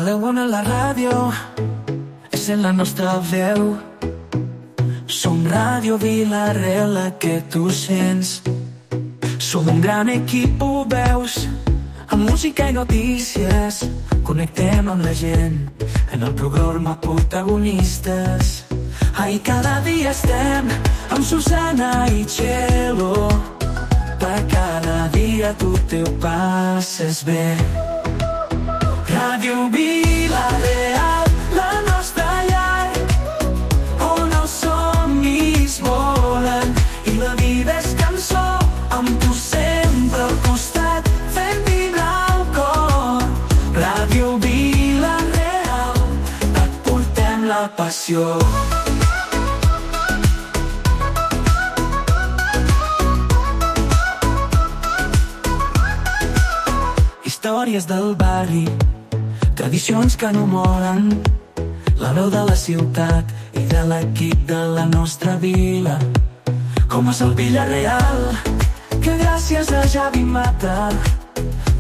la una la ràdio és en la nostra veu. Som Ràdio Vila-real, la que tu sents. Som un gran equip, ho veus, amb música i notícies. Connectem amb la gent en el programa Protagonistes. Ahí cada dia estem amb Susana i Txelo. Per cada dia tu te ho passes bé. Ràdio Vila-real, la nostra llar, on els somnis volen i la vida és cançó, amb tu sempre al costat, fent vibrar el cor. Ràdio Vila-real, et portem la passió. Històries del barri, tradicions que no moren, la veu de la ciutat i de l'equip de la nostra vila. Com és el Vila-real, que gràcies a Javi Mata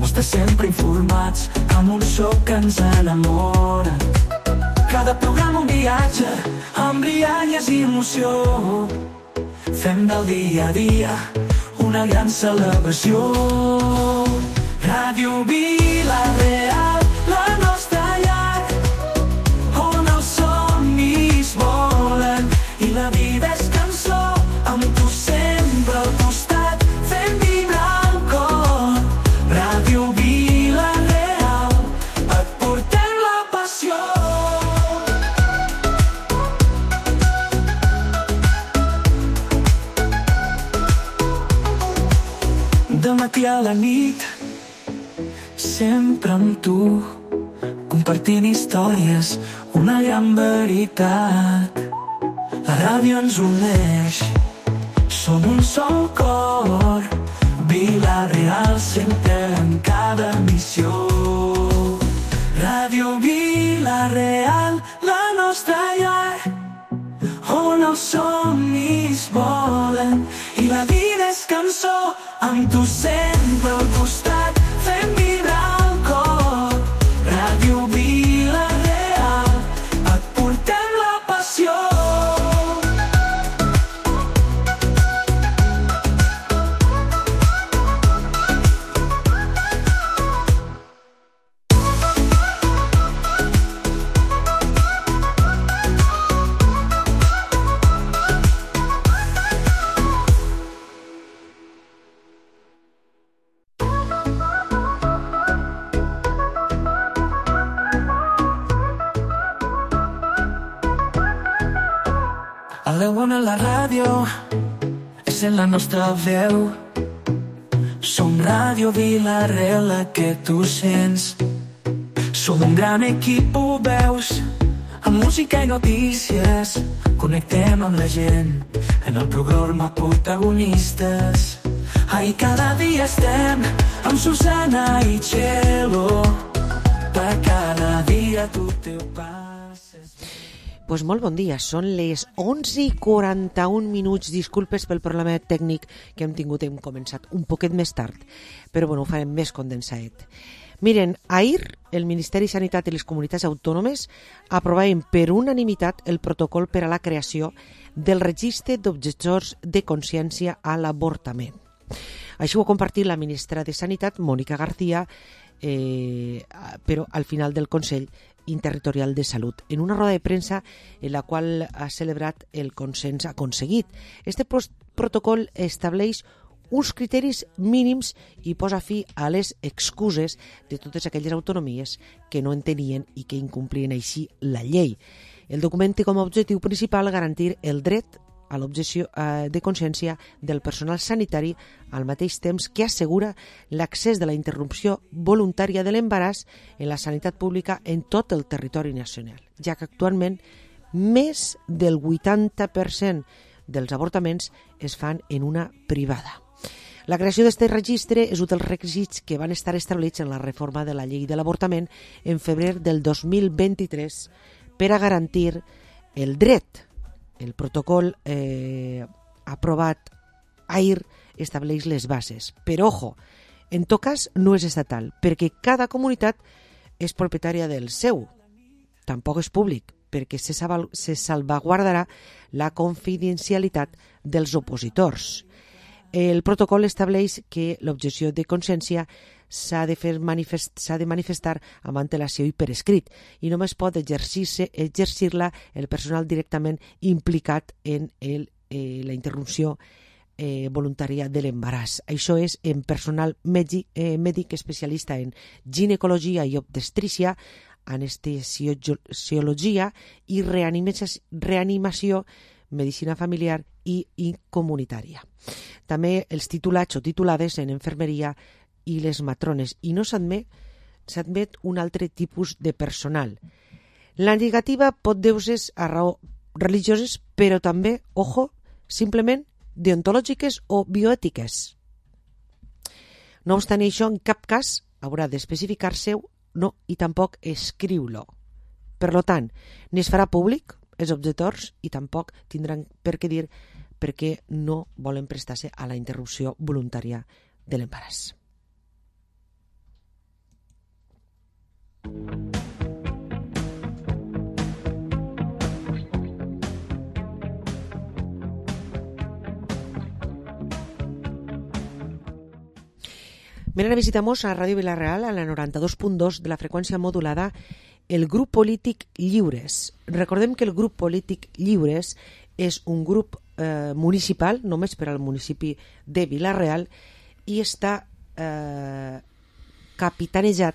mos té sempre informats amb un so que ens enamora. Cada programa un viatge amb rialles i emoció. Fem del dia a dia una gran celebració. Ràdio Vila-real, la nostra llar, on els somnis volen i la vida és cançó, amb tu sempre al costat, fent vibrar el cor. Ràdio Vila-real, et portem la passió. Del matí a la nit, sempre amb tu, compartint històries, una gran veritat. La ràdio ens uneix, som un sol cor. Vila-real sempre en cada missió. Ràdio Vila-real, la nostra llar, on els somnis volen i la vida és cançó, amb tu sempre al costat, fent vibrar el cor. Ràdio Vila-real, et portem la passió. A la una la ràdio és en la nostra veu. Som Ràdio Vila-real, la que tu sents. Som un gran equip, ho veus, amb música i notícies. Connectem amb la gent en el programa Protagonistes. Ahí cada dia estem amb Susana i Txelo. Per cada dia tu te ho passes. Pues molt bon dia, són les 11:41. Disculpes pel problema tècnic que hem tingut, hem començat un poquet més tard, però bueno, ho farem més condensadet. Miren, ahir el Ministeri de Sanitat i les comunitats autònomes aprovaven per unanimitat el protocol per a la creació del registre d'objectors de consciència a l'avortament. Això ho ha compartit la ministra de Sanitat, Mònica García, però al final del Consell Interterritorial de Salut, en una roda de premsa en la qual ha celebrat el consens aconseguit. Este protocol estableix uns criteris mínims i posa fi a les excuses de totes aquelles autonomies que no entenien i que incomplien així la llei. El document té com a objectiu principal garantir el dret a l'objecció de consciència del personal sanitari al mateix temps que assegura l'accés de la interrupció voluntària de l'embaràs en la sanitat pública en tot el territori nacional, ja que actualment més del 80% dels avortaments es fan en una privada. La creació d'aquest registre és un dels requisits que van estar establerts en la reforma de la llei de l'avortament en febrer del 2023 per a garantir el dret. El protocol aprovat ahir estableix les bases. Però, ojo, en tot cas no és estatal, perquè cada comunitat és propietària del seu. Tampoc és públic, perquè se salvaguardarà la confidencialitat dels opositors. El protocol estableix que l'objecció de consciència s'ha de manifestar amb antelació i per escrit i només pot exercir-la el personal directament implicat en la interrupció voluntària de l'embaràs. Això és en personal mèdic especialista en ginecologia i obstetrícia, anestesiologia i reanimació, medicina familiar i comunitària. També els titulats o titulades en infermeria i les matrones, i no s'admet un altre tipus de personal. La negativa pot deure-se a raó religioses, però també, ojo, simplement deontològiques o bioètiques. No obstant això, en cap cas haurà d'especificar-se no, i tampoc escriu-lo. Per tant, ni es farà públic els objectors i tampoc tindran per què dir perquè no volen prestar-se a la interrupció voluntària de l'embaràs. Venen a visitar-nos a Ràdio Vila-real a la 92.2 de la freqüència modulada el grup polític Lliures. Recordem que el grup polític Lliures és un grup municipal, només per al municipi de Vila-real, i està capitanejat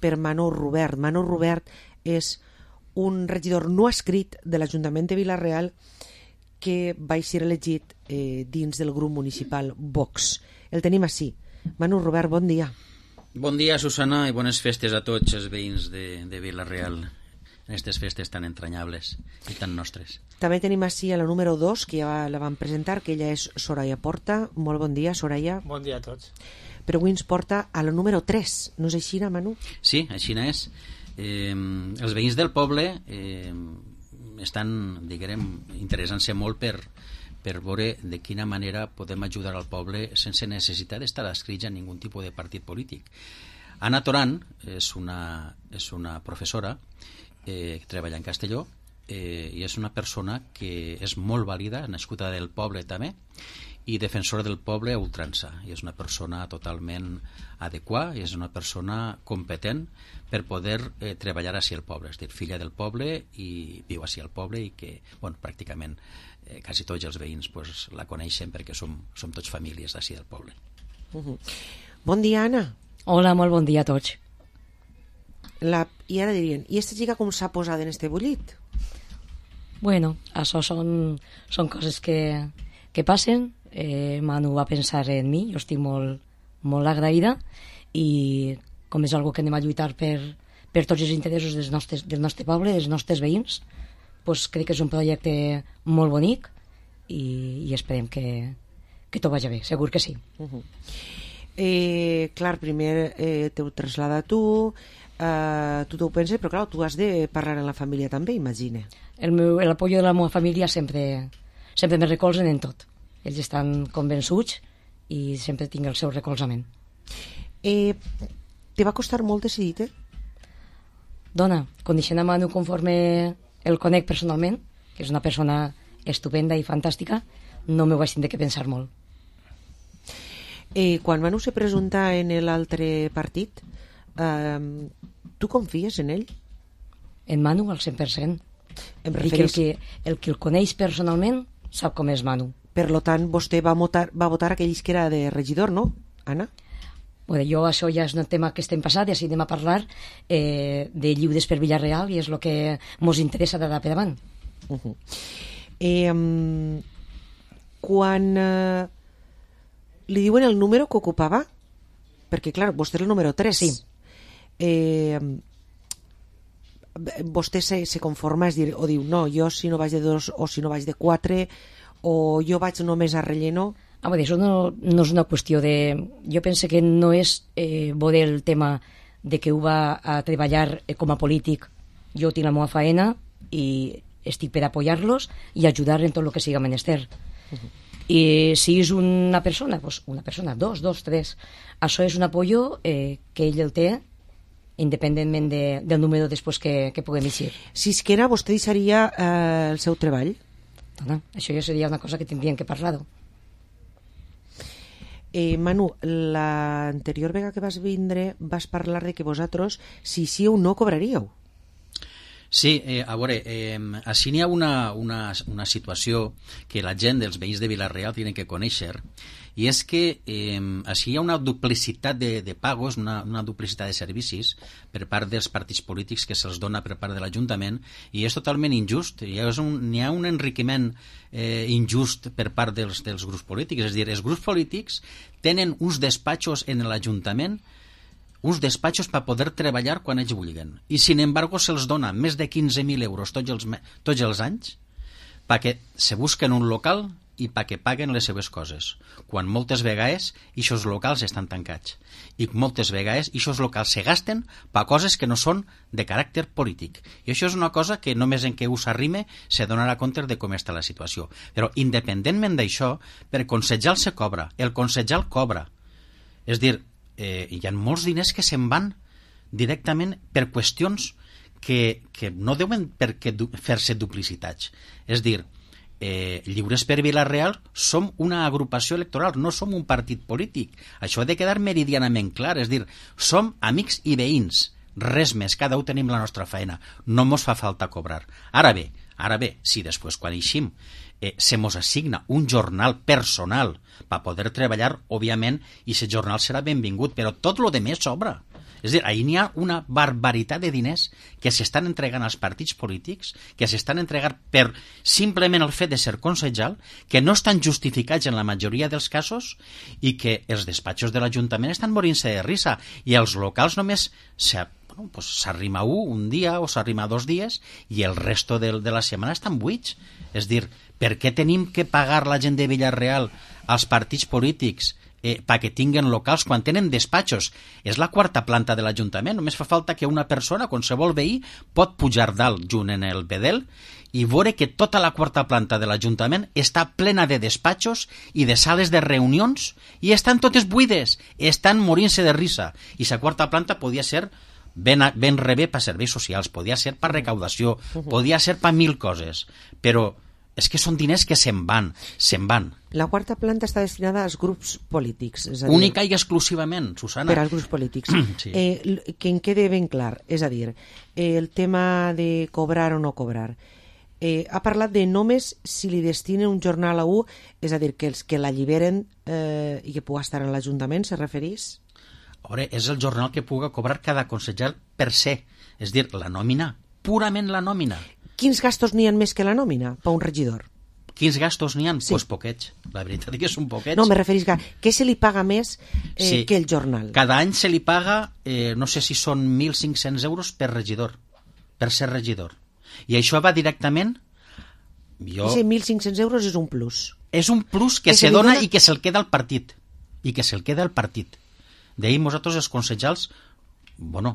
per Manor Robert. Manor Robert és un regidor no escrit de l'Ajuntament de Vila-real que va ser elegit dins del grup municipal Vox. El tenim així. Manu Robert, bon dia. Bon dia, Susana, i bones festes a tots els veïns de Vila-real en aquestes festes tan entranyables i tan nostres. També tenim així a la número 2, que ja la vam presentar, que ella és Soraya Porta. Molt bon dia, Soraya. Bon dia a tots. Però avui ens porta a la número 3, no és així, Manu? Sí, així és. Els veïns del poble estan, diguem, interessant-se molt per veure de quina manera podem ajudar al poble sense necessitat d'estar adscrits a ningú tipus de partit polític. Anna Toran és una professora que treballa en Castelló i és una persona que és molt vàlida, nascuda del poble també, i defensora del poble a ultrança. I és una persona totalment adequada i és una persona competent per poder treballar així al poble. És a dir, filla del poble i viu així al poble i que, bueno, pràcticament quasi tots els veïns pues, la coneixen perquè som tots famílies d'ací del poble. Bon dia, Anna. Hola, molt bon dia a tots. I ara dirien, i aquesta xica com s'ha posat en este bullit? Bueno, això són coses que passen. Manu va pensar en mi, jo estic molt agraïda i com és algo que anem a lluitar per tots els interessos del nostre poble, dels nostres veïns, pues crec que és un projecte molt bonic i esperem que tot vagi bé, segur que sí. Clar, primer t'ho traslada tu t'ho penses, però clar, tu has de parlar amb la família també, imagina. L'apoyo de la meva família sempre me recolzen en tot. Ells estan convençuts i sempre tinc el seu recolzament. Te va costar molt decidir-te? Dona, coneixent a Manu conforme el conec personalment, que és una persona estupenda i fantàstica, no m'ho vaig tindre que pensar molt. Quan Manu se presenta en l'altre partit, tu confies en ell? En Manu al 100%. Dic que el que el coneix personalment sap com és Manu. Per tant, vostè va votar aquell que era de regidor, no, Anna? Bueno, això ja és un tema que estem passat i així anem a parlar de Lliures per Vila-real i és el que ens interessa d'ara per davant. Quan li diuen el número que ocupava, perquè clar, vostè és el número 3, sí. Vostè se conforma, és dir, o diu, no, jo si no vaig de 2 o si no vaig de 4 o jo vaig només a relleno. Això no és una qüestió de... Jo penso que no és veure el tema de que ho va a treballar com a polític. Jo tinc la meva feina i estic per apoyar-los i ajudar en tot el que siga menester. I si és una persona, doncs una persona, 2, 3. Això és un apoyo que ell el té independentment del número després que puguem eixir. Si es que vostè deixaria el seu treball? Dona, això ja seria una cosa que tindríem que parlar-ho. Manu, l'anterior vegada que vas vindre vas parlar de que vosaltres, si sí o no, cobraríeu. Sí, a veure, així n'hi ha una situació que la gent dels veïns de Vila-real tenen que conèixer, i és que així hi ha una duplicitat de pagos, una duplicitat de servicis per part dels partits polítics que se'ls dona per part de l'Ajuntament, i és totalment injust. N'hi ha un enriquiment injust per part dels grups polítics. És a dir, els grups polítics tenen uns despatxos en l'Ajuntament, uns despatxos per poder treballar quan ells vulguen. I, sin embargo, se'ls dona més de 15.000 euros tots els anys perquè se busquen un local i perquè paguen les seves coses, quan moltes vegades aquests locals estan tancats i moltes vegades aquests locals se gasten per coses que no són de caràcter polític. I això és una cosa que només en què us arrime se donarà compte de com està la situació. Però independentment d'això, per consellar se cobra, el consellar cobra. És dir, hi ha molts diners que se'n van directament per qüestions que no deuen fer-se duplicitats. És dir, Lliures per Vila-real som una agrupació electoral, no som un partit polític. Això ha de quedar meridianament clar. És dir, som amics i veïns, res més, cada un tenim la nostra feina, no mos fa falta cobrar. Ara bé, si després quan eixim se mos assigna un jornal personal per poder treballar, òbviament, i aquest jornal serà benvingut, però tot lo de més sobra. És a dir, ahir n'hi ha una barbaritat de diners que s'estan entregant als partits polítics, que s'estan entregant per simplement el fet de ser consellal, que no estan justificats en la majoria dels casos i que els despatxos de l'Ajuntament estan morint-se de risa, i els locals només s'arrima un dia o s'arrima 2 dies i el resto de la setmana estan buits. És dir, per què tenim que pagar la gent de Vila-real als partits polítics perquè tinguen locals quan tenen despatxos? És la 4ª planta de l'Ajuntament, només fa falta que una persona, qualsevol veí, pot pujar dalt junt en el bedel i veure que tota la 4ª planta de l'Ajuntament està plena de despatxos i de sales de reunions i estan totes buides, estan morint-se de risa. I la 4ª planta podia ser ben rebé per serveis socials, podia ser per recaudació, podia ser per 1000 coses, però és que són diners que se'n van. La 4ª planta està destinada als grups polítics. És a dir, única i exclusivament, Susana. Per als grups polítics. Sí. Que en quede ben clar. És a dir, el tema de cobrar o no cobrar. Ha parlat de només si li destinen un jornal a un, és a dir, que els que l'alliberen i que pugui estar en l'Ajuntament, se referís? A veure, és el jornal que pugui cobrar cada consellal per se. És dir, la nòmina, purament la nòmina. Quins gastos n'hi ha més que la nòmina per un regidor? Quins gastos n'hi ha? Sí. Pues poquets. La veritat és que són poquets. No, me referís que què se li paga més que el jornal? Cada any se li paga, no sé si són 1.500 euros per regidor, per ser regidor. I això va directament... I 1.500 euros és un plus. És un plus que se dona i que se'l queda al partit. D'ahir nosaltres els consellals,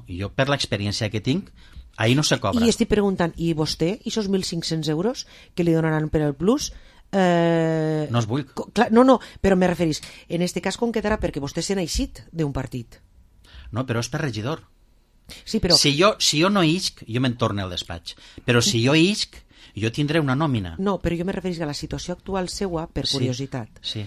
jo per l'experiència que tinc, ahir no se cobra. I estic preguntant, i vostè, i esos 1.500 euros que li donaran per el plus... No es vull. No, però me referís, en este cas com quedarà perquè vostè se n'ha eixit d'un partit. No, però és per regidor. Sí, però... Si jo no isc, jo me'n torno al despatx. Però si jo isc, jo tindré una nòmina. No, però jo me referís a la situació actual seua, per curiositat. Sí.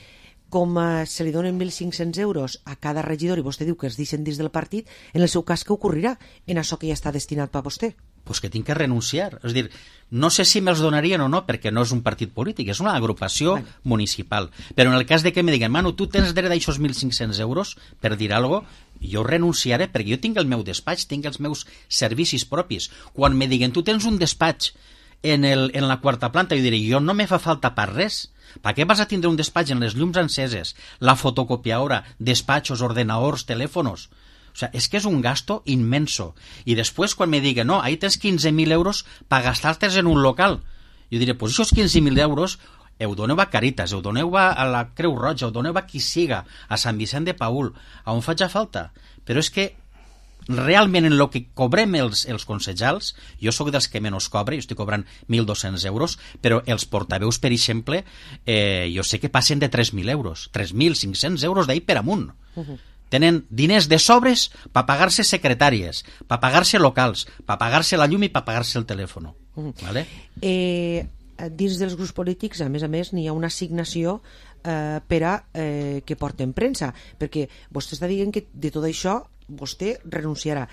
Com se li donen 1.500 euros a cada regidor i vostè diu que es deixen dins del partit, en el seu cas què ocorrirà en això que ja està destinat per vostè? Pues que tinc que renunciar. És dir, no sé si me'ls donarien o no, perquè no és un partit polític, és una agrupació municipal. Però en el cas de que me diguen, Manu, tu tens dret d'aixòs 1.500 euros, per dir alguna cosa, jo renunciaré, perquè jo tinc el meu despatx, tinc els meus servicis propis. Quan me diguen, tu tens un despatx en la 4ª planta, jo diré, jo no me fa falta per res. Per què vas a tindre un despatx en les llums enceses, la fotocopiadora, despatxos, ordenadors, telèfonos? O sea, és que és un gasto inmenso. I després, quan me diguen, no, ahí tens 15.000 euros per gastar-te's en un local, jo diré, pues aquests 15.000 euros ho doneu a Caritas, ho doneu a la Creu Roja, ho doneu a qui siga, a Sant Vicent de Paül, a on faig falta. Però és que realment en el que cobrem els consellals, jo sóc dels que menys cobre, jo estic cobrant 1.200 euros, però els portaveus, per exemple, jo sé que passen de 3.000 euros, 3.500 euros d'ahir per amunt. tenen diners de sobres per pagar-se secretàries, per pagar-se locals, per pagar-se la llum i per pagar-se el telèfon. Vale? Dins dels grups polítics, a més, n'hi ha una assignació per a que porten premsa, perquè vostè està dient que de tot això vostè renunciarà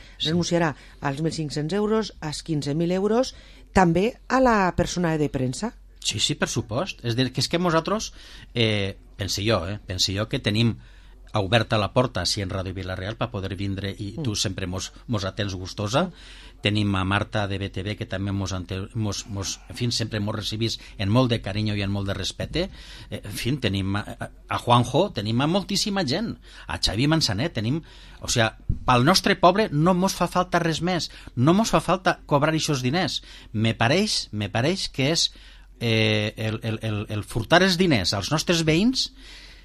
als 1.500 euros, als 15.000 euros, també a la persona de premsa. Sí, per supost. És que nosaltres, pense jo que tenim oberta la porta si en Ràdio Vila-real per poder vindre i tu sempre mos atens gustosa. Tenim a Marta de BTV que també sempre mos recibís en molt de carinyo i en molt de respecte. En fi, tenim a Juanjo, tenim a moltíssima gent, a Xavi Manzanet, tenim... O sigui, pel nostre poble no mos fa falta res més, no mos fa falta cobrar aquests diners. Me pareix que és el furtar els diners als nostres veïns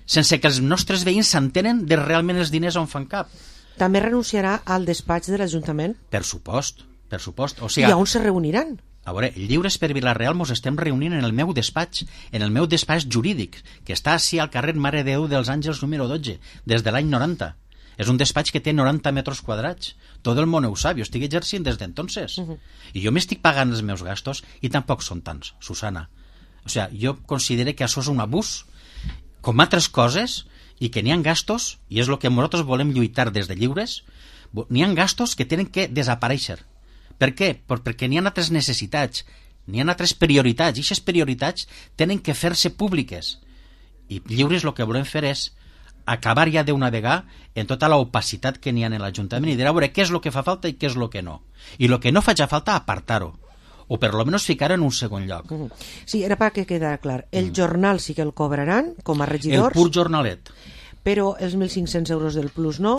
sense que els nostres veïns s'entenen de realment els diners on fan cap. També renunciarà al despatx de l'Ajuntament? Per supost. O sigui, i on se reuniran? A veure, Lliures per Vila-real mos estem reunint en el meu despatx jurídic, que està així al carrer Mare de Déu dels Àngels número 12, des de l'any 90. És un despatx que té 90 metres quadrats. Tot el món ho sap, jo estic exercint des d'entonces. I jo m'estic pagant els meus gastos i tampoc són tants, Susana. O sigui, jo considero que això és un abús com altres coses, i que n'hi ha gastos, i és el que nosaltres volem lluitar des de Lliures, n'hi ha gastos que tenen que desaparèixer. Per què? Perquè n'hi ha altres necessitats, n'hi ha altres prioritats, i aquestes prioritats tenen que fer-se públiques. I Lliures el que volem fer és acabar ja d'una vegada en tota l'opacitat que n'hi ha en l'Ajuntament i dir, a veure, què és el que fa falta i què és el que no. I el que no faci falta, apartar-ho. O per lo menos ficar en un segon lloc. Sí, era perquè quedara clar. El jornal sí que el cobraran com a regidors. El pur jornalet. Però els 1.500 euros del plus no,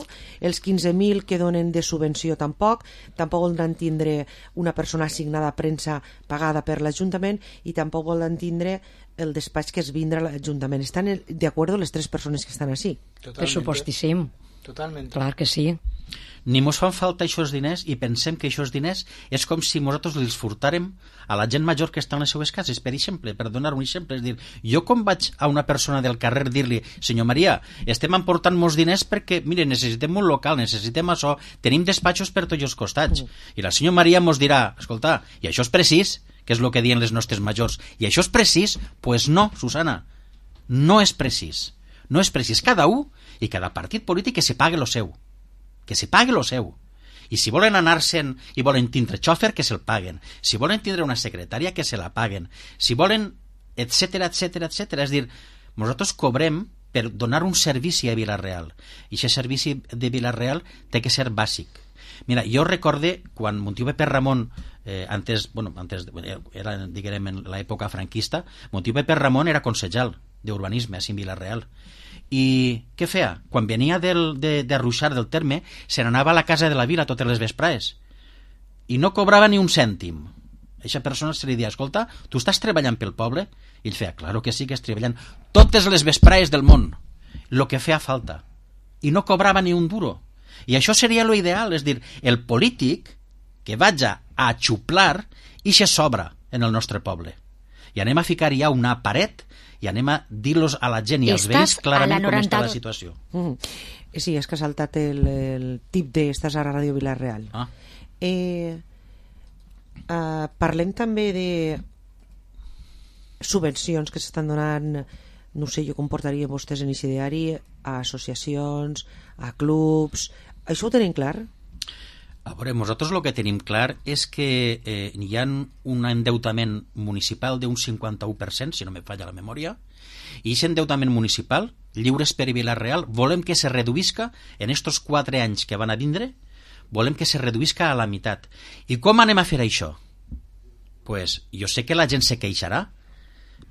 els 15.000 que donen de subvenció tampoc voldran tindre una persona assignada a premsa pagada per l'Ajuntament i tampoc voldran tindre el despatx que es vindrà a l'Ajuntament. Estan d'acord les tres persones que estan així? Per supostíssim. Totalment. Clar que sí. Ni mos fan falta aquests diners i pensem que aquests diners és com si nosaltres els furtàrem a la gent major que està en les seves cases, per exemple, per donar un exemple. És dir, jo com vaig a una persona del carrer dir-li, senyor Maria, estem emportant molts diners perquè, mire, necessitem un local, necessitem això, tenim despatxos per tots els costats. I la senyora Maria mos dirà, escolta, i això és precís, que és el que diuen les nostres majors, i això és precís? Pues no, Susana, no és precís. No és precís. Cada un i cada partit polític que se pague lo seu. Que se pague lo seu. I si volen anar-se'n i volen tindre xòfer, que se'l paguen. Si volen tindre una secretària, que se la paguen. Si volen, etcètera. És dir, nosaltres cobrem per donar un servici a Vila-real. I aquest servici de Vila-real té que ser bàsic. Mira, jo recorde quan Montiu Pepe Ramon, antes era, diguem, en l'època franquista, Montiu Pepe Ramon era consellal d'urbanisme a Vila-real. I què feia? Quan venia de Ruixar del terme, se n'anava a la casa de la vila totes les vesprades i no cobrava ni un cèntim. A aquesta persona se li deia, escolta, tu estàs treballant pel poble? I ell feia, claro que sí que estic treballant totes les vesprades del món, el que feia falta, i no cobrava ni un duro. I això seria lo ideal, és dir, el polític que vaja a xuplar i se sobra en el nostre poble. I anem a ficar ja una paret i anem a dir-los a la gent i als veïns clarament com està la situació. Sí, és que ha saltat el tip de estàs a Ràdio Vila-real. Parlem també de subvencions que s'estan donant, no sé jo com portaria vostès en aquest diari, a associacions, a clubs. Això ho tenim clar? A veure, nosaltres el que tenim clar és que hi ha un endeutament municipal d'un 51%, si no me falla la memòria, i aquest endeutament municipal, Lliures per Vila-real, volem que se reduïsca en estos 4 anys que van a vindre, volem que se reduïsca a la meitat. I com anem a fer això? Pues jo sé que la gent se queixarà,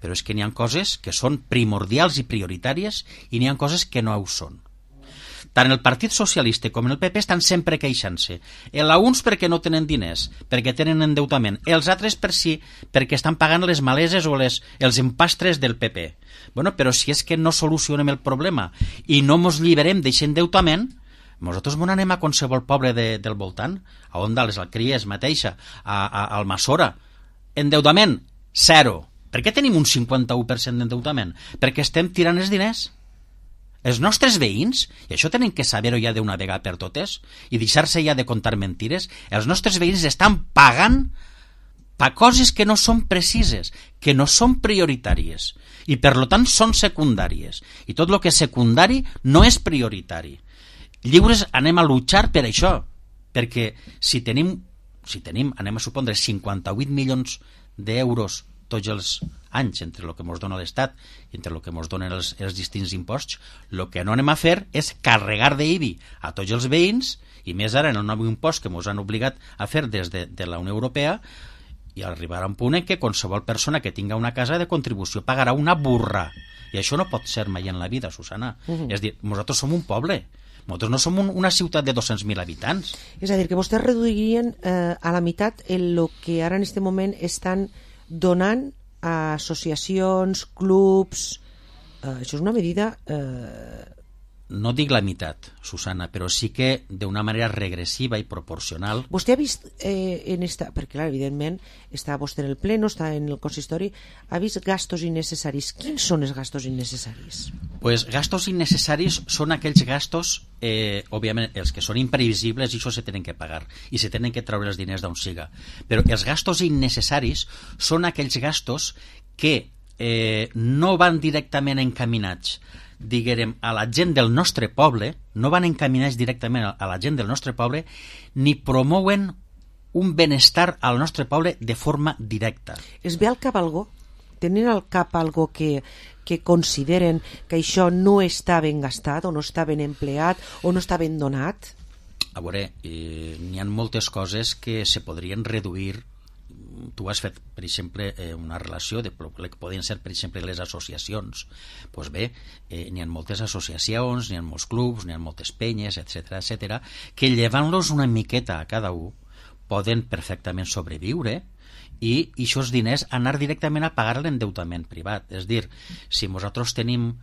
però és que n'hi ha coses que són primordials i prioritàries i n'hi ha coses que no ho són. Tant el Partit Socialista com el PP estan sempre queixant-se. Uns perquè no tenen diners, perquè tenen endeutament. Els altres perquè estan pagant les maleses o els empastres del PP. Bueno, però si és que no solucionem el problema i no mos lliberem d'aquest endeutament, nosaltres anem a qualsevol poble del voltant, a Onda, les Alcries mateixa, a Almassora. Endeutament, 0. Per què tenim un 51% d'endeutament? Perquè estem tirant els diners. Els nostres veïns, i això tenen que saber-ho ja d'una vegada per totes, i deixar-se ja de contar mentires, els nostres veïns estan pagant per coses que no són precises, que no són prioritàries, i per tant són secundàries. I tot el que és secundari no és prioritari. Lliures anem a luchar per això, perquè si tenim, anem a supondre, 58 milions d'euros tots els anys entre el que ens dona l'Estat i entre el que ens donen els distints imposts, el que no anem a fer és carregar d'IBI a tots els veïns, i més ara en el nou impost que ens han obligat a fer des de la Unió Europea, i arribarà a un punt en què qualsevol persona que tinga una casa de contribució pagarà una burra. I això no pot ser mai en la vida, Susana. És a dir, nosaltres som un poble, nosaltres no som una ciutat de 200.000 habitants. És a dir, que vostès reduirien a la meitat el que ara en aquest moment estan donant a associacions, clubs... això és una medida... No dic la meitat, Susana, però sí que d'una manera regressiva i proporcional. Vostè ha vist perquè clar, evidentment està vostè en el pleno, està en el consistori, ha vist gastos innecessaris. Quins són els gastos innecessaris? Pues gastos innecessaris són aquells gastos, òbviament, els que són imprevisibles, i això se tenen que pagar i se tenen que treure els diners d'on siga. Però els gastos innecessaris són aquells gastos que no van directament encaminats, diguem, a la gent del nostre poble, no van encaminats directament a la gent del nostre poble, ni promouen un benestar al nostre poble de forma directa. Es ve al cap algo? Tenen al cap algo que consideren que això no està ben gastat, o no està ben empleat, o no està ben donat? A veure, n'hi ha moltes coses que se podrien reduir. Tu has fet, per exemple, una relació de que poden ser, per exemple, les associacions. Doncs bé, n'hi ha moltes associacions, n'hi ha molts clubs, n'hi ha moltes penyes, etc, que llevant-los una miqueta a cada un poden perfectament sobreviure i aquests diners anar directament a pagar l'endeutament privat. És dir, si nosaltres tenim...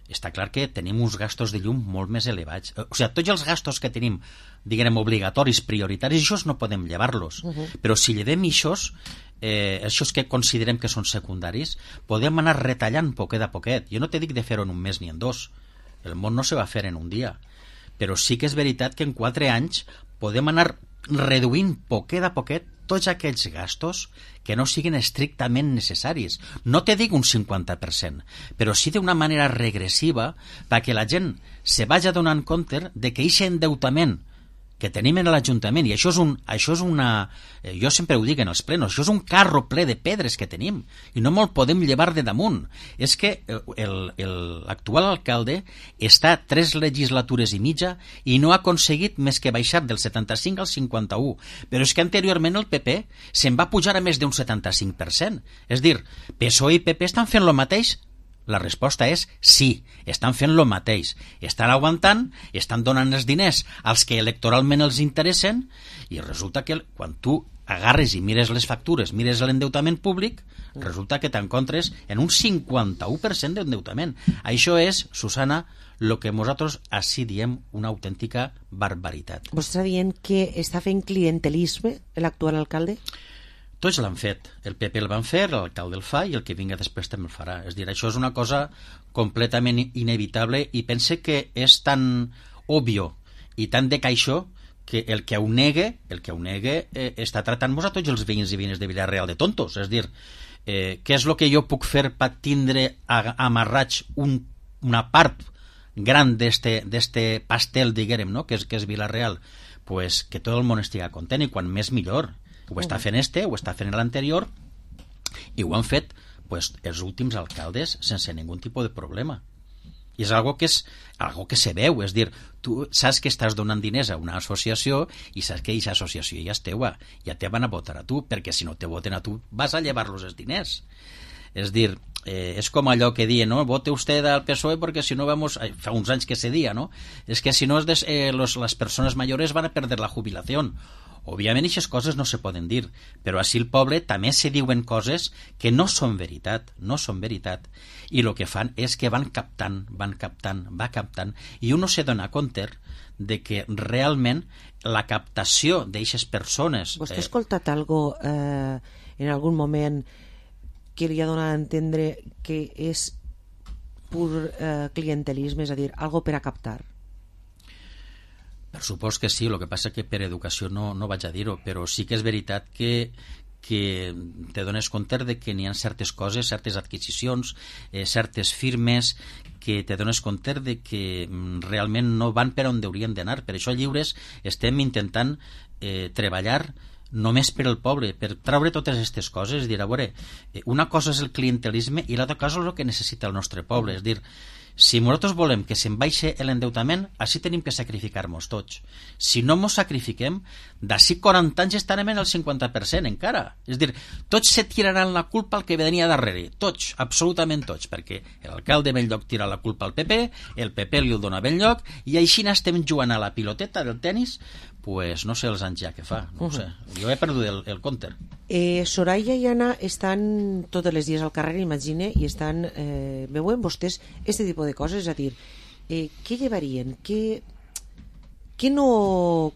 Està clar que tenim uns gastos de llum molt més elevats. O sigui, tots els gastos que tenim, diguem, obligatoris, prioritaris, això no podem llevar-los. Però si llevem això que considerem que són secundaris, podem anar retallant poquet a poquet. Jo no te dic de fer-ho en un mes ni en dos. El món no se va fer en un dia. Però sí que és veritat que en 4 anys podem anar reduint poquet a poquet tots aquells gastos que no siguin estrictament necessaris. No te dic un 50%, però sí d'una manera regressiva perquè la gent se vagi donant compte de que aquest endeutament que tenim en l'Ajuntament, i això és una... Jo sempre ho dic en els plenos, això és un carro ple de pedres que tenim, i no me'l podem llevar de damunt. És que l'actual alcalde està 3 legislatures i mitja i no ha aconseguit més que baixar del 75 al 51, però és que anteriorment el PP se'n va pujar a més d'un 75%. És dir, PSOE i PP estan fent el mateix. La resposta és sí, estan fent el mateix. Estan aguantant, estan donant els diners als que electoralment els interessen, i resulta que quan tu agarres i mires les factures, mires l'endeutament públic, resulta que t'encontres en un 51% d'endeutament. Això és, Susana, el que nosaltres així diem una autèntica barbaritat. Vostè està dient que està fent clientelisme l'actual alcalde? Tots l'han fet. El PP el van fer, l'alcalde el fa i el que vinga després també el farà. És dir, això és una cosa completament inevitable i pense que és tan òbvio i tan de caixó que el que ho negue està tratant-nos a tots els veïns i veïnes de Vila-real de tontos. És dir, què és el que jo puc fer per tindre amarrats una part gran d'este pastel, diguem, no? que és Vila-real? Pues que tot el món estigui content i quan més millor. Ho està fent ho està fent l'anterior i ho han fet els últims alcaldes sense ningun tipus de problema. I és algo que se veu, és dir, tu saps que estàs donant diners a una associació i saps que aquesta associació ja és teua, ja te van a votar a tu, perquè si no te voten a tu vas a llevar-los els diners. És dir, és com allò que diuen, no? Vote usted al PSOE porque si no vamos... Fa uns anys que se dia, no? És que si no les persones mayores van a perder la jubilació. Òbviament, aquestes coses no se poden dir, però així el poble també se diuen coses que no són veritat, i el que fan és que van captant, i un no se dona compte de que realment la captació d'aquestes persones... Vostè ha escoltat algo en algun moment que li ha donat a entendre que és pur clientelisme, és a dir, algo per a captar? Per supost que sí, el que passa que per educació no vaig a dir-ho, però sí que és veritat que te dones compte de que n'hi ha certes coses, certes adquisicions, certes firmes, que te dones compte de que realment no van per on haurien d'anar. Per això a Lliures estem intentant treballar només per al poble, per treure totes aquestes coses, és dir, a veure, una cosa és el clientelisme i l'altra cosa és el que necessita el nostre poble, és dir, si nosaltres volem que se'n baixi l'endeutament, així tenim que sacrificar-nos tots. Si no ens sacrifiquem, d'ací 40 anys estarem en el 50% encara. És dir, tots se tiraran la culpa al que venia darrere. Tots, absolutament tots, perquè l'alcalde ben lloc tira la culpa al PP, el PP li el dona ben lloc, i així n'estem jugant a la piloteta del tennis, pues no sé els anys ja que fa, no ho sé. Jo he perdut el compte. Soraya i Anna estan totes les dies al carrer, imagine, i estan veuen vostès este tipus de coses, és a dir, què llevarien, què no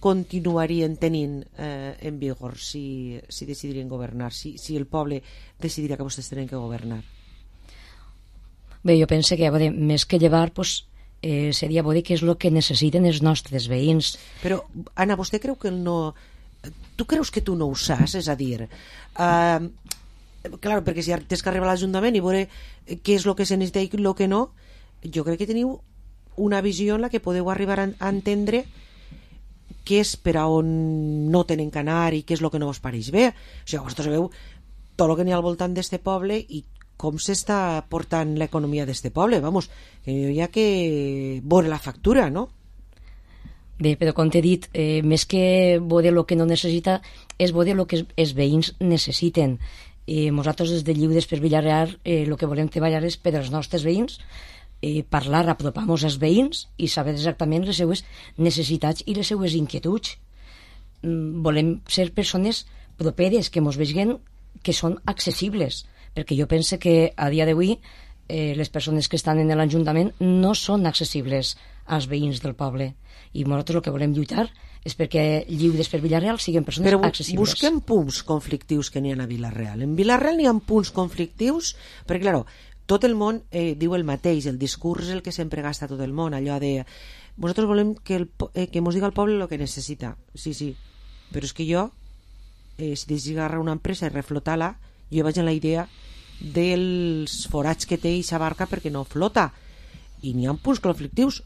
continuarien tenint en vigor si decidirien governar, si el poble decidirà que vostès tenen que governar? Bé, jo penso que més que llevar, pues, seria bo dir què és el que necessiten els nostres veïns. Però, Anna, vostè creu que no... Tu creus que tu no ho saps? És a dir, clar, perquè si tens que arribar a l'Ajuntament i veure què és el que se necessita i el que no, jo crec que teniu una visió en la que podeu arribar a entendre què és per a on no tenen que anar i què és el que no vos pareix bé. O sigui, vosaltres sabeu tot el que n'hi ha al voltant d'este poble i com s'està portant l'economia d'este poble. Vamos, que hi ha que veure la factura, no? Bé, però com t'he dit, més que veure el que no necessita, és veure el que els veïns necessiten. Nosaltres des de Lliures per Villarreal el que volem treballar és per als nostres veïns, parlar, apropar-nos als veïns i saber exactament les seues necessitats i les seues inquietuds. Volem ser persones properes, que ens vegin que són accessibles, perquè jo penso que a dia d'avui les persones que estan en l'Ajuntament no són accessibles als veïns del poble, i nosaltres el que volem lluitar és perquè Lliures per Villarreal siguin persones accessibles. Però busquem punts conflictius que n'hi ha a Villarreal. En Villarreal n'hi ha punts conflictius perquè, clar, tot el món diu el mateix, el discurs és el que sempre gasta tot el món, allò de nosaltres volem que mos diga el poble el que necessita. Sí, però és que jo si deixi agarrar una empresa i reflotar-la, jo vaig en la idea dels forats que té eixa barca perquè no flota, i n'hi ha punts conflictius,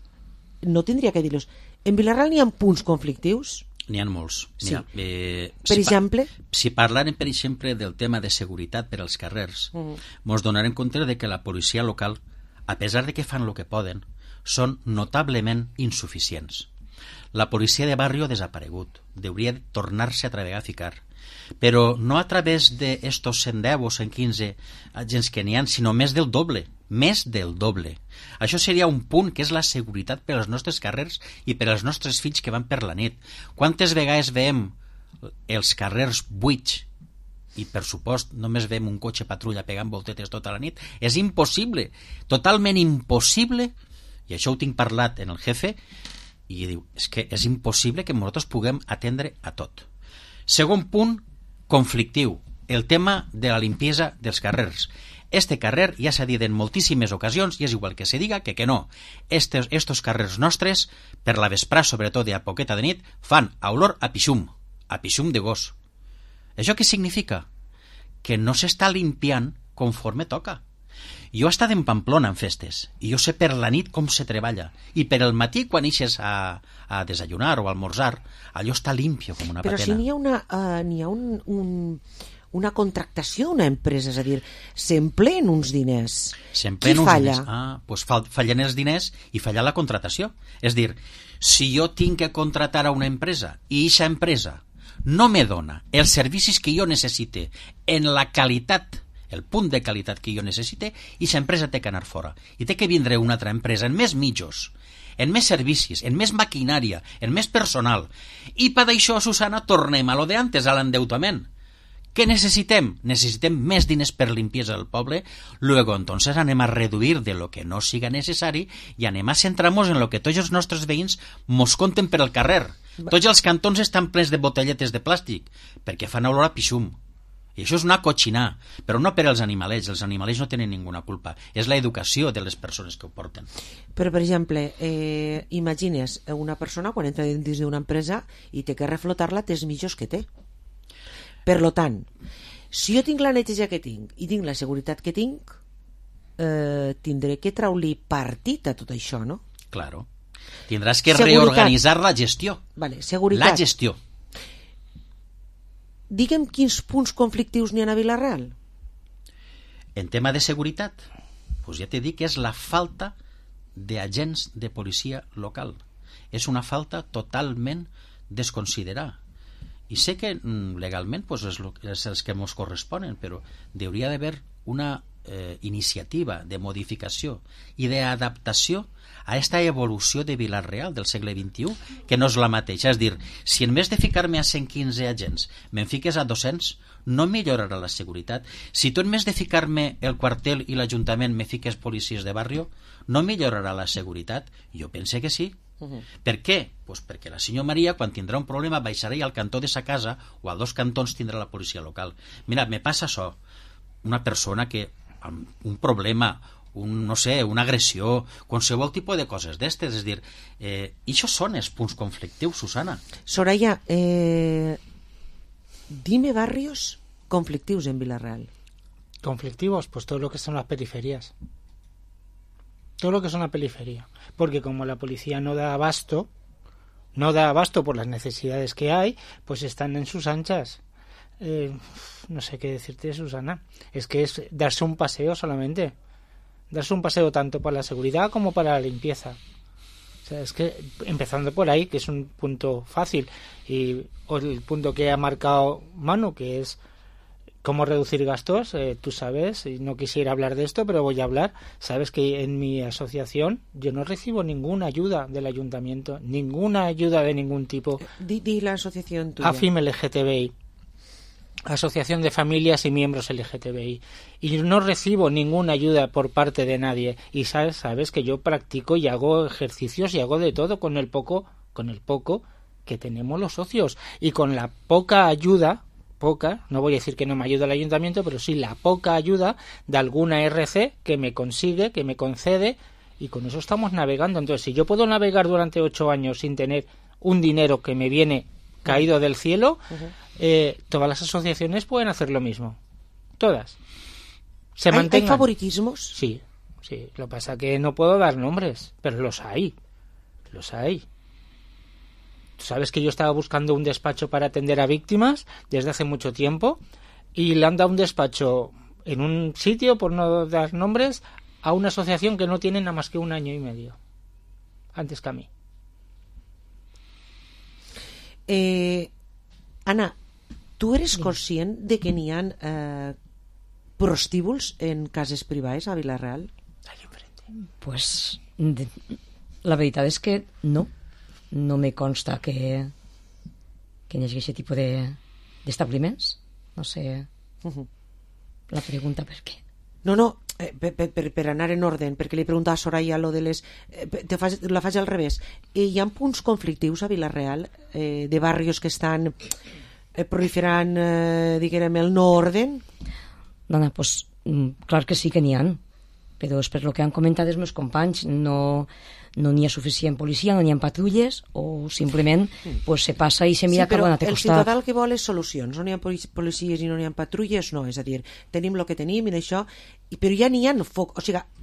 no tindria que dir-los. En Villarreal n'hi ha punts conflictius? N'hi ha molts. Sí. Per exemple? Si parlarem, per exemple, del tema de seguretat per als carrers, mos donarem compte de que la policia local, a pesar de que fan el que poden, són notablement insuficients. La policia de barri ha desaparegut, hauria de tornar-se a treballar a ficar, però no a través d'estos 110 o 115 agents que n'hi ha, sinó més del doble. Això seria un punt, que és la seguretat per als nostres carrers i per als nostres fills que van per la nit. Quantes vegades veiem els carrers buits i, per supost, només veiem un cotxe patrulla pegant voltetes tota la nit? És impossible, totalment impossible, i això ho tinc parlat en el jefe, i diu, és que és impossible que nosaltres puguem atendre a tot. Segon punt conflictiu, el tema de la limpiesa dels carrers. Este carrer ja s'ha dit en moltíssimes ocasions, i és igual que se diga que no. Estos carrers nostres, per la vesprà, sobretot a poqueta de nit, fan olor a pixum de gos. Això què significa? Que no s'està limpiant conforme toca. Jo he estat en Pamplona en festes, i jo sé per la nit com se treballa, i per el matí quan ixes a desayunar o a almorzar, allò està limpio com una patena. Però si n'hi ha una contractació, una empresa, és a dir, s'empleen uns diners. Qui falla? Doncs fallen els diners i falla la contratació. És dir, si jo tinc que contratar a una empresa i aquesta empresa no me dona els servicis que jo necessite en la qualitat, el punt de qualitat que jo necessite, i aquesta empresa té que anar fora. I té que vindre una altra empresa en més mitjos, en més servicis, en més maquinària, en més personal. I per això, Susana, tornem a lo de antes, a l'endeutament. ¿Qué necesitem? Necessitem més diners per limpieza del poble, luego entonces anem a reduir de lo que no siga necessari i anem a centrar-nos en lo que tots els nostres veïns mos conten per al carrer. Tots els cantons estan plens de botelletes de plàstic perquè fan olor a pixum. I això és una cotxinar, però no per als animalets. Els animalets no tenen ninguna culpa. És l'educació de les persones que ho porten. Però, per exemple, imagines una persona quan entra dins d'una empresa i té que reflotar-la, té els mitjos que té. Per lo tant, si jo tinc la neteja que tinc i tinc la seguretat que tinc, tindré que treure-li partit a tot això, no? Claro. Tindràs que Seguretat. reorganitzar la gestió. Vale, seguretat. La gestió. Digue'm quins punts conflictius n'hi ha a Vila-real. En tema de seguretat, doncs ja t'he dit que és la falta d'agents de policia local. És una falta totalment desconsiderada. I sé que legalment doncs, és els que ens corresponen, però hauria d'haver una iniciativa de modificació i d'adaptació a aquesta evolució de Vila-real del segle XXI, que no és la mateixa. És dir, si en vez de ficar-me a 115 agents me'n fiques a 200, no millorarà la seguretat. Si tu en vez de ficar-me el quartel i l'Ajuntament me fiques policies de barri, no millorarà la seguretat? Jo pense que sí. Per què? Pues perquè la senyora Maria, quan tindrà un problema, baixarà i al cantó de sa casa o a 2 cantons tindrà la policia local. Mira, me passa això. Una persona que amb un problema, no sé, una agressió, qualsevol tipus de coses d'estes, és dir, i això són els punts conflictius, Susana. Soraya, dime barrios conflictius en Vila-real. Conflictivos, pues todo lo que son las periferias. Todo lo que son la periferia. Porque como la policía no da abasto por las necesidades que hay, pues están en sus anchas. No sé qué decirte, Susana. Es que es darse un paseo solamente. Darse un paseo tanto para la seguridad como para la limpieza. O sea, es que empezando por ahí, que es un punto fácil, y el punto que ha marcado Manu, que es cómo reducir gastos, tú sabes, y no quisiera hablar de esto, pero voy a hablar. Sabes que en mi asociación yo no recibo ninguna ayuda del ayuntamiento, ninguna ayuda de ningún tipo. Di la asociación tuya. AFIM LGTBI, Asociación de Familias y Miembros LGTBI, y no recibo ninguna ayuda por parte de nadie. Y sabes que yo practico y hago ejercicios y hago de todo con el poco que tenemos los socios, y con la poca ayuda, no voy a decir que no me ayuda el ayuntamiento, pero sí la poca ayuda de alguna RC que me consigue, que me concede, y con eso estamos navegando. Entonces, si yo puedo navegar durante 8 años sin tener un dinero que me viene caído del cielo, todas las asociaciones pueden hacer lo mismo. Todas. ¿Hay favoritismos? Sí. Lo que pasa es que no puedo dar nombres, pero los hay. Tú sabes que yo estaba buscando un despacho para atender a víctimas desde hace mucho tiempo, y le han dado un despacho en un sitio, por no dar nombres, a una asociación que no tiene nada más que 1 año y medio antes que a mí. Anna, tu eres conscient de que n'hi ha prostíbuls en cases privades a Vila-real? Pues la veritat és que no me consta que hi hagi aquest tipus d'establiments. No sé la pregunta per què. No, per anar en ordre, perquè li preguntava a Soraya lo de les... la faig al revés. Hi ha punts conflictius a Vila-real de barrios que estan proliferant, diguem, el no orden? Dona, pues clar que sí que n'hi ha, però és per lo que han comentat els meus companys, no n'hi ha suficient policia, no n'hi ha patrulles, o simplement pues, se passa i se mira cap a un altre costat. Sí, però el ciutadà el que vol és solucions. No n'hi ha policies i no n'hi ha patrulles, no. És a dir, tenim el que tenim i d'això, però ja n'hi ha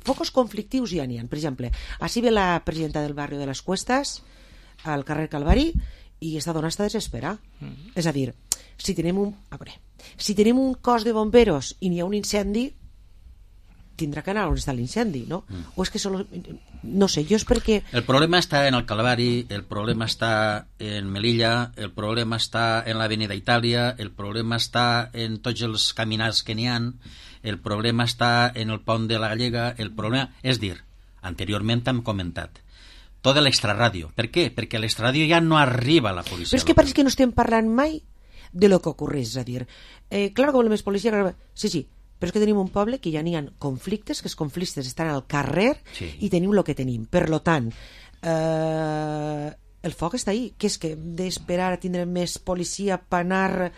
focus conflictius, ja n'hi ha. Per exemple, així ve la presidenta del barri de les Cuestas al carrer Calvari i esta dona està desesperada. És a dir, si tenim un cos de bomberos i n'hi ha un incendi, tindrà que anar on està l'incendi, no? O és que no sé, jo és perquè... El problema està en el Calvari, el problema està en Melilla, el problema està en l'Avenida Itàlia, el problema està en tots els caminars que n'hi ha, el problema està en el pont de la Gallega, el problema... És dir, anteriorment hem comentat, tota l'extraràdio. Per què? Perquè a l'extraràdio ja no arriba la policia. Però és que pareix que no estem parlant mai de lo que ocorreix, és a dir, clar que volem més policia, sí, però és que tenim un poble que ja n'hi ha conflictes, que els conflictes estan al carrer, sí, i tenim el que tenim. Per lo tant, el foc està ahí. Què és que hem d'esperar a tindre més policia per anar...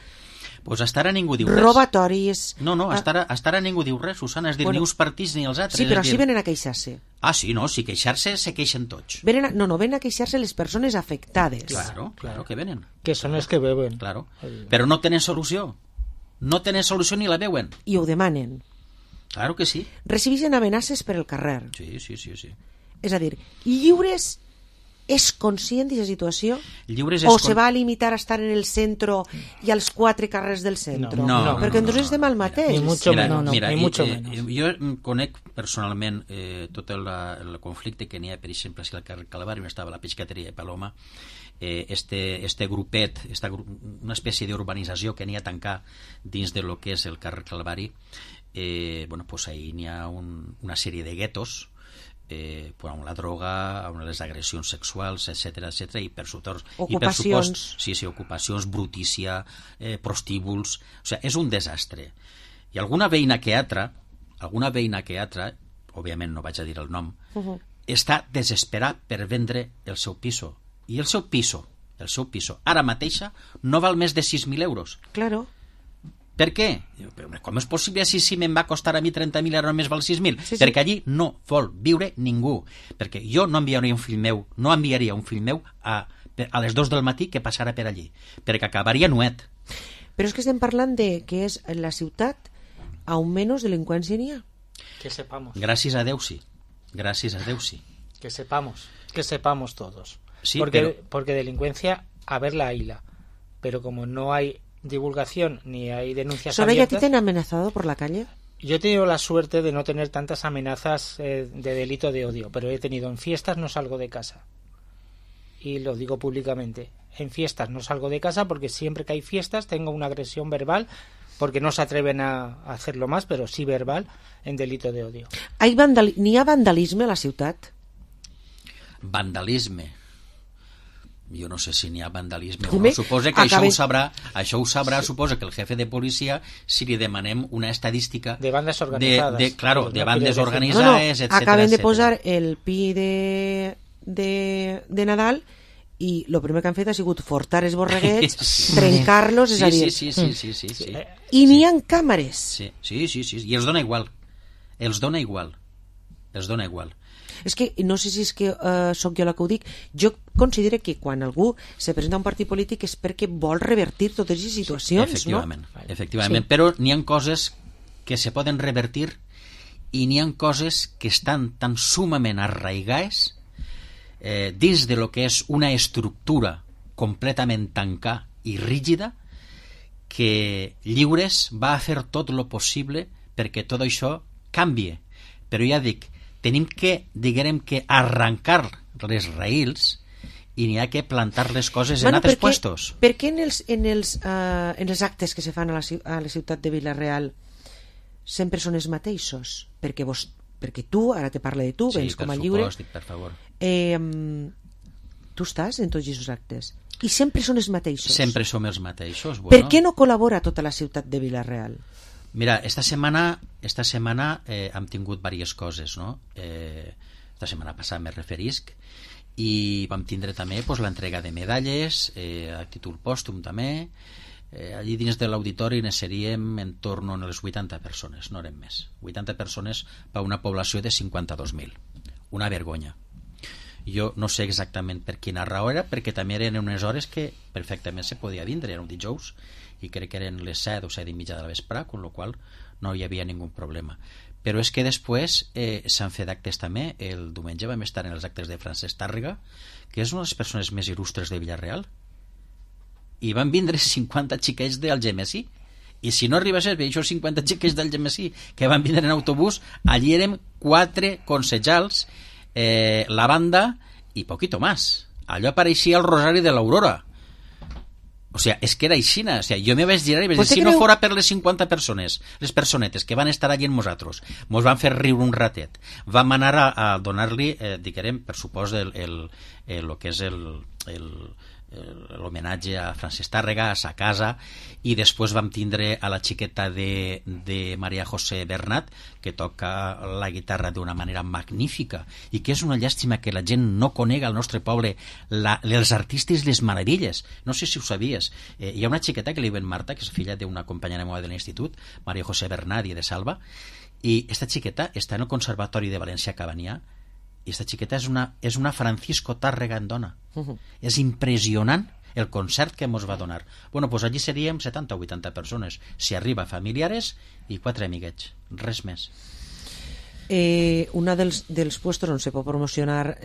Pues hasta ara ningú diu res. Robatoris... No, hasta ara ningú diu res, Susana, és dir, ni uns partits ni els altres. Sí, però sí venen a queixar-se. Ah, sí, no, si queixar-se, se queixen tots. Venen a queixar-se les persones afectades. Claro que venen. Que són els que beuen. Claro. Però no tenen solució. No tenen solució ni la veuen. I ho demanen. Claro que sí. Recibeixen amenaces per el carrer. Sí. És a dir, Lliures és conscient d'aquesta situació? Lliures o se va a limitar a estar en el centre i als 4 carrers del centre? No. Perquè entonces estem al mateix. Ni mucho menos. Mira, ni mucho menos. Jo conec personalment tot el conflicte que n'hi ha, per exemple, si al carrer Calvari, on estava la pescateria de Paloma, este grupet, una espècie d'urbanització que n'hi ha tancar dins de lo que és el carrer Calvari, pues ahí n'hi ha una sèrie de guetos, amb la droga, amb les agressions sexuals, etc, i per supost, ocupacions. Ocupacions, brutícia, prostíbuls, o sigui, és un desastre. I alguna veïna que altra, òbviament no vaig a dir el nom, està desesperat per vendre el seu piso. I el seu piso, ara mateixa, no val més de 6.000 euros. Claro. Per què? Com és possible si me'n va costar a mi 30.000 ara només val 6.000? Sí. Perquè allí no vol viure ningú. Perquè jo no enviaria un fill meu a les 2 del matí que passara per allí, perquè acabaria nuet. Però és que estem parlant de que és la ciutat on menys delinqüència n'hi ha. Que sepamos. Gràcies a Déu sí. Que sepamos todos. Sí, porque delincuencia, haberla hayla. Pero como no hay divulgación ni hay denuncias ¿Soraya, abiertas... a ti te han amenazado por la calle? Yo he tenido la suerte de no tener tantas amenazas de delito de odio, pero he tenido en fiestas no salgo de casa. Y lo digo públicamente. En fiestas no salgo de casa porque siempre que hay fiestas tengo una agresión verbal, porque no se atreven a hacerlo más, pero sí verbal, en delito de odio. N'hi ha vandalisme a la ciutat? Vandalisme. Jo no sé si n'hi ha vandalisme o no. Suposa que això ho sabrà, suposa que el jefe de policia, si li demanem una estadística de bandes organitzades, de bandes organitzades, etc. Acaben de posar el pi de Nadal i el primer que han fet ha sigut fortar els borreguets, trencar-los, és a dir... Sí. I n'hi ha càmeres. Sí, i els dona igual. És que no sé si és que sóc jo la que ho dic, jo considero que quan algú se presenta a un partit polític és perquè vol revertir totes les situacions, efectivament, però n'hi ha coses que se poden revertir i n'hi ha coses que estan tan sumament arraigades dins de lo que és una estructura completament tancada i rígida que Lliures va a fer tot lo possible perquè tot això canvie, però ja dic, tenim que, diguem que, arrencar les raïls i n'hi ha que plantar les coses en altres puestos. Per què en els actes que se fan a la ciutat de Vila-real sempre són els mateixos? Perquè tu, ara te parlo de tu, vens com a Lliure. Sí, per favor. Tu estàs en tots aquests actes i sempre són els mateixos. Sempre som els mateixos. Per què no col·labora tota la ciutat de Vila-real? Mira, esta setmana hem tingut diverses coses, no? Esta setmana passada me referisc, i vam tindre també l'entrega de medalles a títol pòstum també. Allí dins de l'auditori ne seríem en torno a les 80 persones, no eren més. 80 persones per una població de 52.000. Una vergonya. Jo no sé exactament per quina raó era, perquè també eren unes hores que perfectament se podia vindre, era un dijous, i crec que eren les 7 o 7 i mitja de la vesprà, amb la qual no hi havia ningú problema. Però és que després s'han fet actes també. El diumenge vam estar en els actes de Francesc Tàrrega, que és una de les persones més il·lustres de Villarreal, i van vindre 50 xiquets d'Algemesí, i si no arribés a veure 50 xiquets d'Algemesí que van vindre en autobús, allí érem 4 concejals, la banda i poquito más. Allò pareixia el Rosari de l'Aurora. O sea, és que era aixina. O sea, jo me vaig girar i vaig dir, si no fora per les 50 persones, les personetes que van estar allí amb nosaltres, mos van fer riure un ratet, vam anar a donar-li, diguem, per supòs, el que és l'homenatge a Francesc Tàrrega, a sa casa, i després vam tindre a la xiqueta de Maria José Bernat, que toca la guitarra d'una manera magnífica, i que és una llàstima que la gent no conega al nostre poble els artistes i les meravelles. No sé si ho sabies. Hi ha una xiqueta que li diuen Marta, que és filla d'una companyera meva de l'institut, Maria José Bernat i de Salva, i esta xiqueta està en el Conservatori de València Cabanyà, i esta xiqueta és una Francisco Tàrrega en dona. És impressionant el concert que ens va donar. Bueno, pues allí seríem 70 o 80 persones, si arriba familiares i 4 amiguets, res més. Una dels puestos on se pot promocionar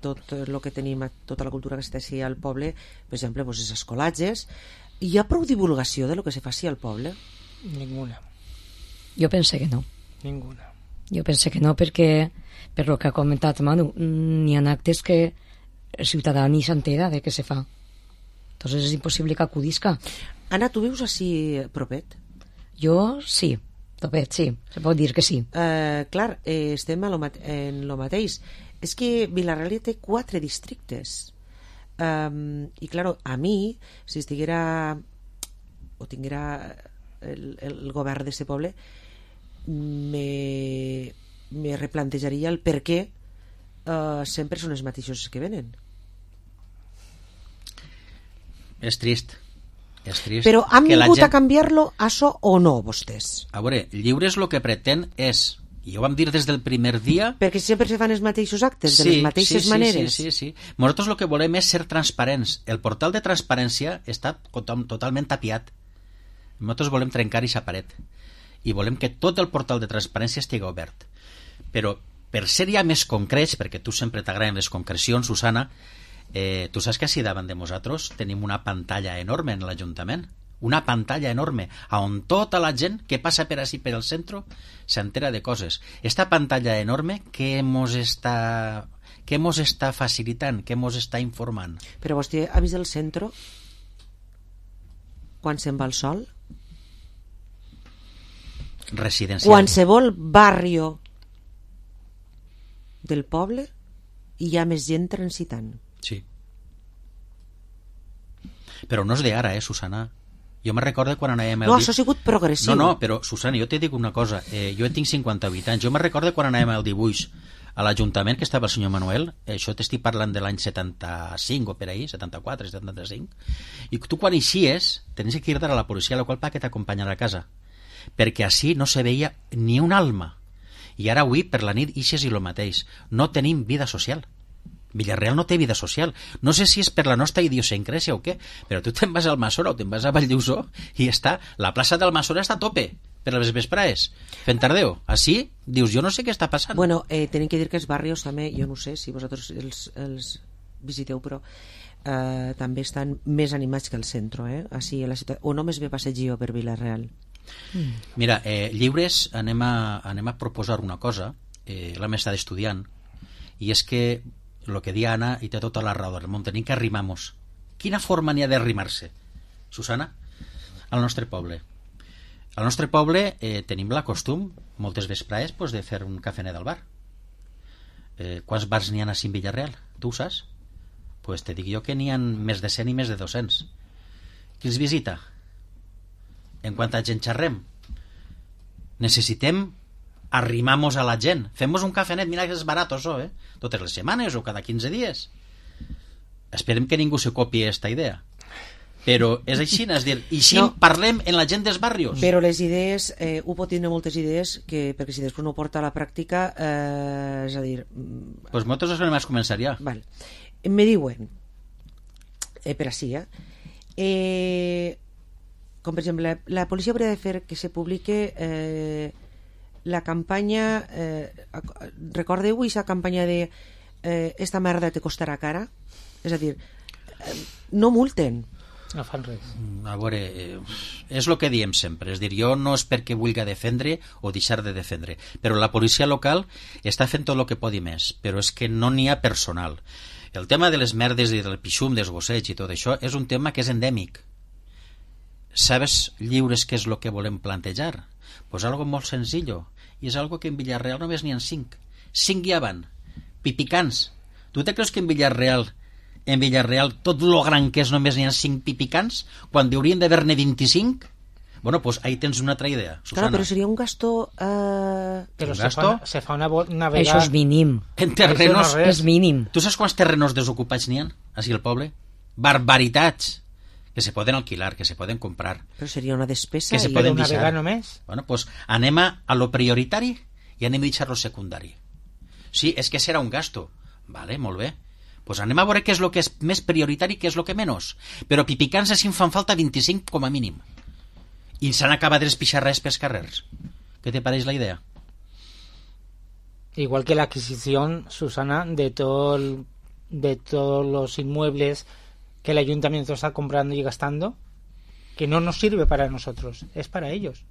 tot el que tenim, tota la cultura que s'està al poble, per exemple, pues, els escolatges. Hi ha prou divulgació de lo que se faci al poble? Ninguna. Jo pense que no. Ninguna. Jo pense que no, perquè, per lo que ha comentat Manu, n'hi ha actes que el ciutadà ni s'entera de què se fa. Entonces és impossible que acudisca. Anna, tu vius així propet? Jo sí, propet, sí, se pot dir que sí. Clar, estem en lo mateix. És que Vila-real té 4 districtes. I, clar, a mi, si estiguera o tinguera el govern d'aquest poble, me replantejaria el per què sempre són els mateixos que venen. És trist. Però han vingut gent... a canviar-lo, això o no, vostès? A veure, Lliures el que pretén és, i ho vam dir des del primer dia... Perquè sempre se fan els mateixos actes, de les mateixes maneres. Sí. Nosaltres el que volem és ser transparents. El portal de transparència està totalment tapiat. Nosaltres volem trencar aquesta paret. I volem que tot el portal de transparència estigui obert. Però, per ser ja més concrets, perquè tu sempre t'agraden les concrecions, Susana, tu saps que així davant de nosaltres tenim una pantalla enorme en l'Ajuntament, una pantalla enorme on tota la gent que passa per així per el centre s'entera de coses. Esta pantalla enorme que mos està facilitant, que mos està informant. Però vostè ha vist el centre quan se'n va el sol? Residencial. Qualsevol barrio del poble hi ha més gent transitant. Sí. Però no és d'ara, Susana. Jo me recordo quan anàvem... No, això ha sigut progressiu. No, però, Susana, jo te dic una cosa. Jo tinc 58 anys. Jo me recordo quan anàvem al dibuix a l'Ajuntament, que estava el senyor Manuel. Això t'estic parlant de l'any 75 o per ahí, 74, 75. I tu quan eixies, tenies que ir-te a la policia local perquè t'acompanyara a casa. Perquè així no se veia ni un alma. I ara avui, per la nit, ixes i lo mateix. No tenim vida social. Villarreal no té vida social. No sé si és per la nostra idiosincràsia o què, però tu te'n vas al Almassora o te'n vas a Valldeuxó i està, la plaça del Almassora està a tope per les vesprades, fent tardeo. Així, dius, jo no sé què està passant. Bueno, tenim que dir que els barrios també, jo no sé si vosaltres els visiteu, però també estan més animats que el centre, així a la ciutat, o només ve passeig per Vila-real. Mira, Lliures anem a proposar una cosa, l'hem estat estudiant, i és que el que dia Anna, i té tota la raó del món, tenim que arrimar-nos. Quina forma n'hi ha d'arrimar-se, Susana? Al nostre poble. Al nostre poble tenim la costum, moltes vesprades, pues, de fer un cafenet al bar. Quants bars n'hi ha a Villarreal? Tu ho saps? Pues te dic jo que n'hi ha més de 100 i més de 200. Qui els visita? En quanta gent xerrem? Necessitem arrimamos a la gent, fem-nos un cafenet, mira que és barat això, totes les setmanes o cada 15 dies. Esperem que ningú se copi esta idea, però és així, és dir, i així no. Parlem en la gent dels barrios. Però les idees, ho pot tindre moltes idees, perquè si després no ho porta a la pràctica, és a dir... Pues nosaltres anem a començar ja. Val. Me diuen, per així, com per exemple, la policia hauria de fer que se publique la campanya, recordeu aquesta campanya de esta merda te costarà cara? És a dir, no multen. No fan res. A veure, és el que diem sempre, és dir, jo no és perquè vulgui defendre o deixar de defendre, però la policia local està fent tot el que podi més, però és que no n'hi ha personal. El tema de les merdes i del pixum, dels gossets i tot això és un tema que és endèmic. Sabes, Lliures, què és el que volem plantejar? Pues algo molt senzillo, i és algo que en Villarreal només n'hi ha 5 hi van, pipicans. Tu te creus que en Villarreal en Villarreal tot lo gran que és només n'hi ha 5 pipicans, quan haurien d'haver-ne 25? Bueno, pues ahí tens una altra idea, Susana. Claro, pero sería un gasto... Pero ¿Un se gasto? fa una vegada... Això és mínim. En terrenos... Això no És mínim. Tu saps quants terrenos desocupats n'hi ha, així al poble? Barbaritats! Que se poden alquilar, que se poden comprar. Però seria una despesa. Que se i- poden una deixar. vegada només. Bueno, pues anem a lo prioritari i anem a deixar lo secundari. Sí, és que serà un gasto. Vale, molt bé. Pues anem a veure què és el que és més prioritari i què és el que menys. Però pipicans així en fan falta 25 com a mínim. I s'han acabat de pixarres pels carrers. Què te pareix la idea? Igual que la adquisición, Susana, de todos los inmuebles que el ayuntamiento está comprando y gastando, que no nos sirve para nosotros, es para ellos.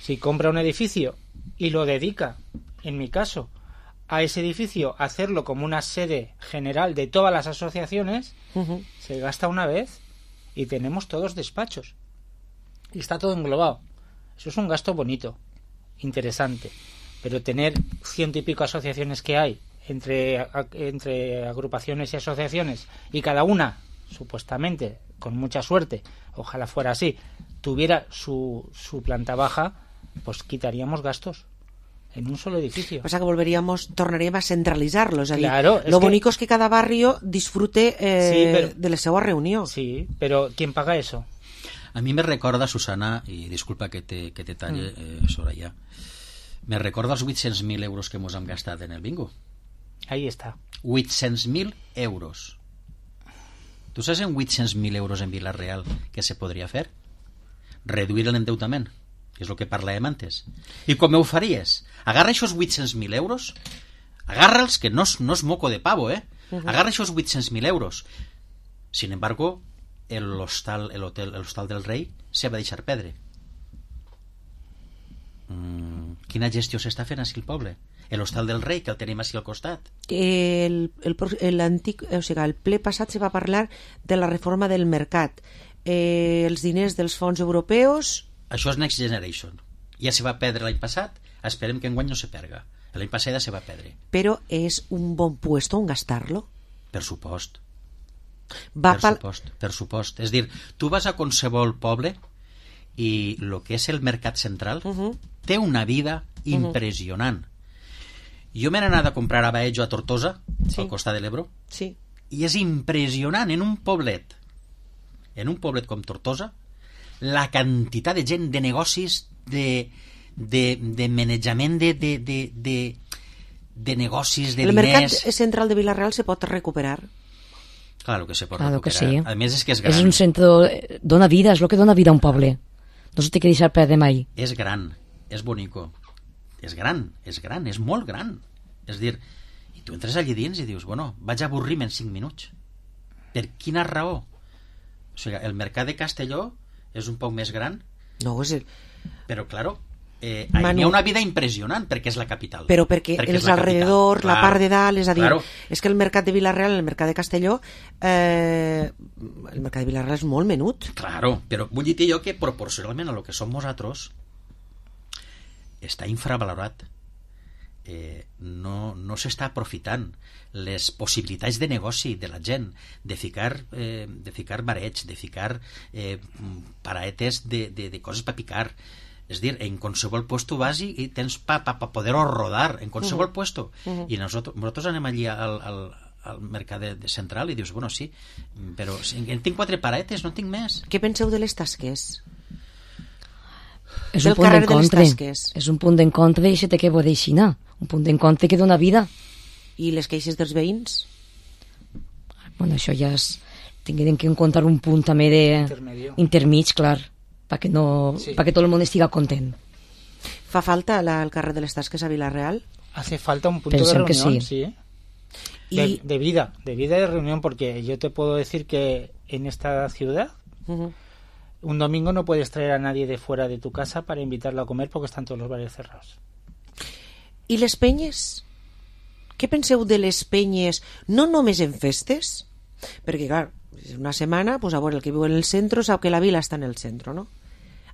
Si compra un edificio y lo dedica, en mi caso, a ese edificio, hacerlo como una sede general de todas las asociaciones, Ujú. se gasta una vez y tenemos todos despachos. Y está todo englobado. Eso es un gasto bonito, interesante. Pero tener 100 y pico asociaciones que hay entre agrupaciones y asociaciones, y cada una, supuestamente, con mucha suerte, ojalá fuera así, tuviera su planta baja, pues quitaríamos gastos en un solo edificio. O sea que tornaríem a centralitzar-lo. És a dir, Claro, es lo que- bonico és que cada barrio disfrute Sí, pero- de la seva reunió. Sí, pero ¿quién paga eso? A mi me recorda, Susana, i disculpa que te talle, Soraya, me recorda els 800.000 euros que mos hem gastat en el bingo. Ahí está. 800.000 euros. Tu saps en 800.000 euros en Vila-real què se podria fer? Reduir l'endeutament, que és el que parlàvem antes. I com ho faries? Agarra aquests 800.000 euros, agarra'ls, que no és moco de pavo, agarra aquests 800.000 euros. Sin embargo, l'hostal del Rei se va deixar perdre. Quina gestió s'està fent així al poble? L'hostal del Rei, que el tenim així al costat. El ple passat se va parlar de la reforma del mercat. Els diners dels fons europeus... Això és Next Generation. Ja se va perdre l'any passat, esperem que enguany no se perga. L'any passat ja se va perdre. Però és un bon puesto on gastar-lo. Per supost. Va Per supost. És dir, tu vas a qualsevol poble i el que és el mercat central té una vida impressionant. Jo m'he anat a comprar a Baello, a Tortosa, al costat de l'Ebro, Sí. i és impressionant en un poblet com Tortosa, la quantitat de gent, de negocis, de manejament de negocis, de El diners. mercat central de Vila-real se pot recuperar. Claro que se pot Claro que recuperar. sí. A més és que és gran. És un centre... Dona vida, és el que dona vida a un poble. No se té que deixar perdre mai. És gran, és bonico, és gran, és molt gran. És dir, i tu entres allí dins i dius, bueno, vaig avorrir-me en 5 minuts. Per quina raó? O sigui, el mercat de Castelló és un poc més gran, No, és però, claro, Manu, hi ha una vida impressionant perquè és la capital. però perquè és els la capital. alrededors, la part de dalt, és a dir, Claro. és que el mercat de Vila-real, el mercat de Castelló, el mercat de Vila-real és molt menut. Claro, però vull dir jo que proporcionalment a lo que som nosaltres està infravalorat. No s'està aprofitant les possibilitats de negoci de la gent, de ficar bareig, de ficar paraetes de coses per picar. És dir, en qualsevol puesto vas i tens pa poder-ho rodar, en qualsevol puesto. I nosaltres anem allí al mercat central i dius, bueno, sí, però tinc 4 paraetes, no tinc més. Què penseu de les tasques? És Del un punt carrer de les d'encontre. Tasques. És un punt d'encontre i se té que poder xinar. Un punt d'encontre que dona vida. I les queixes dels veïns? Bueno, això ja és... Tinguem que encontrar un punt també intermig, clar, perquè tot el món estiga content. Fa falta el carrer de les Tasques a Vila-real? Hace falta un punto Pensem de que reunión, sí. sí. De vida de reunión, porque yo te puedo decir que en esta ciudad un domingo no puedes traer a nadie de fuera de tu casa para invitarlo a comer porque están todos los bares cerrados. I les penyes? Què penseu de les penyes, no només en festes? Perquè, clar, una setmana, pues, a veure, el que viu en el centre sap que la vila està en el centre, no?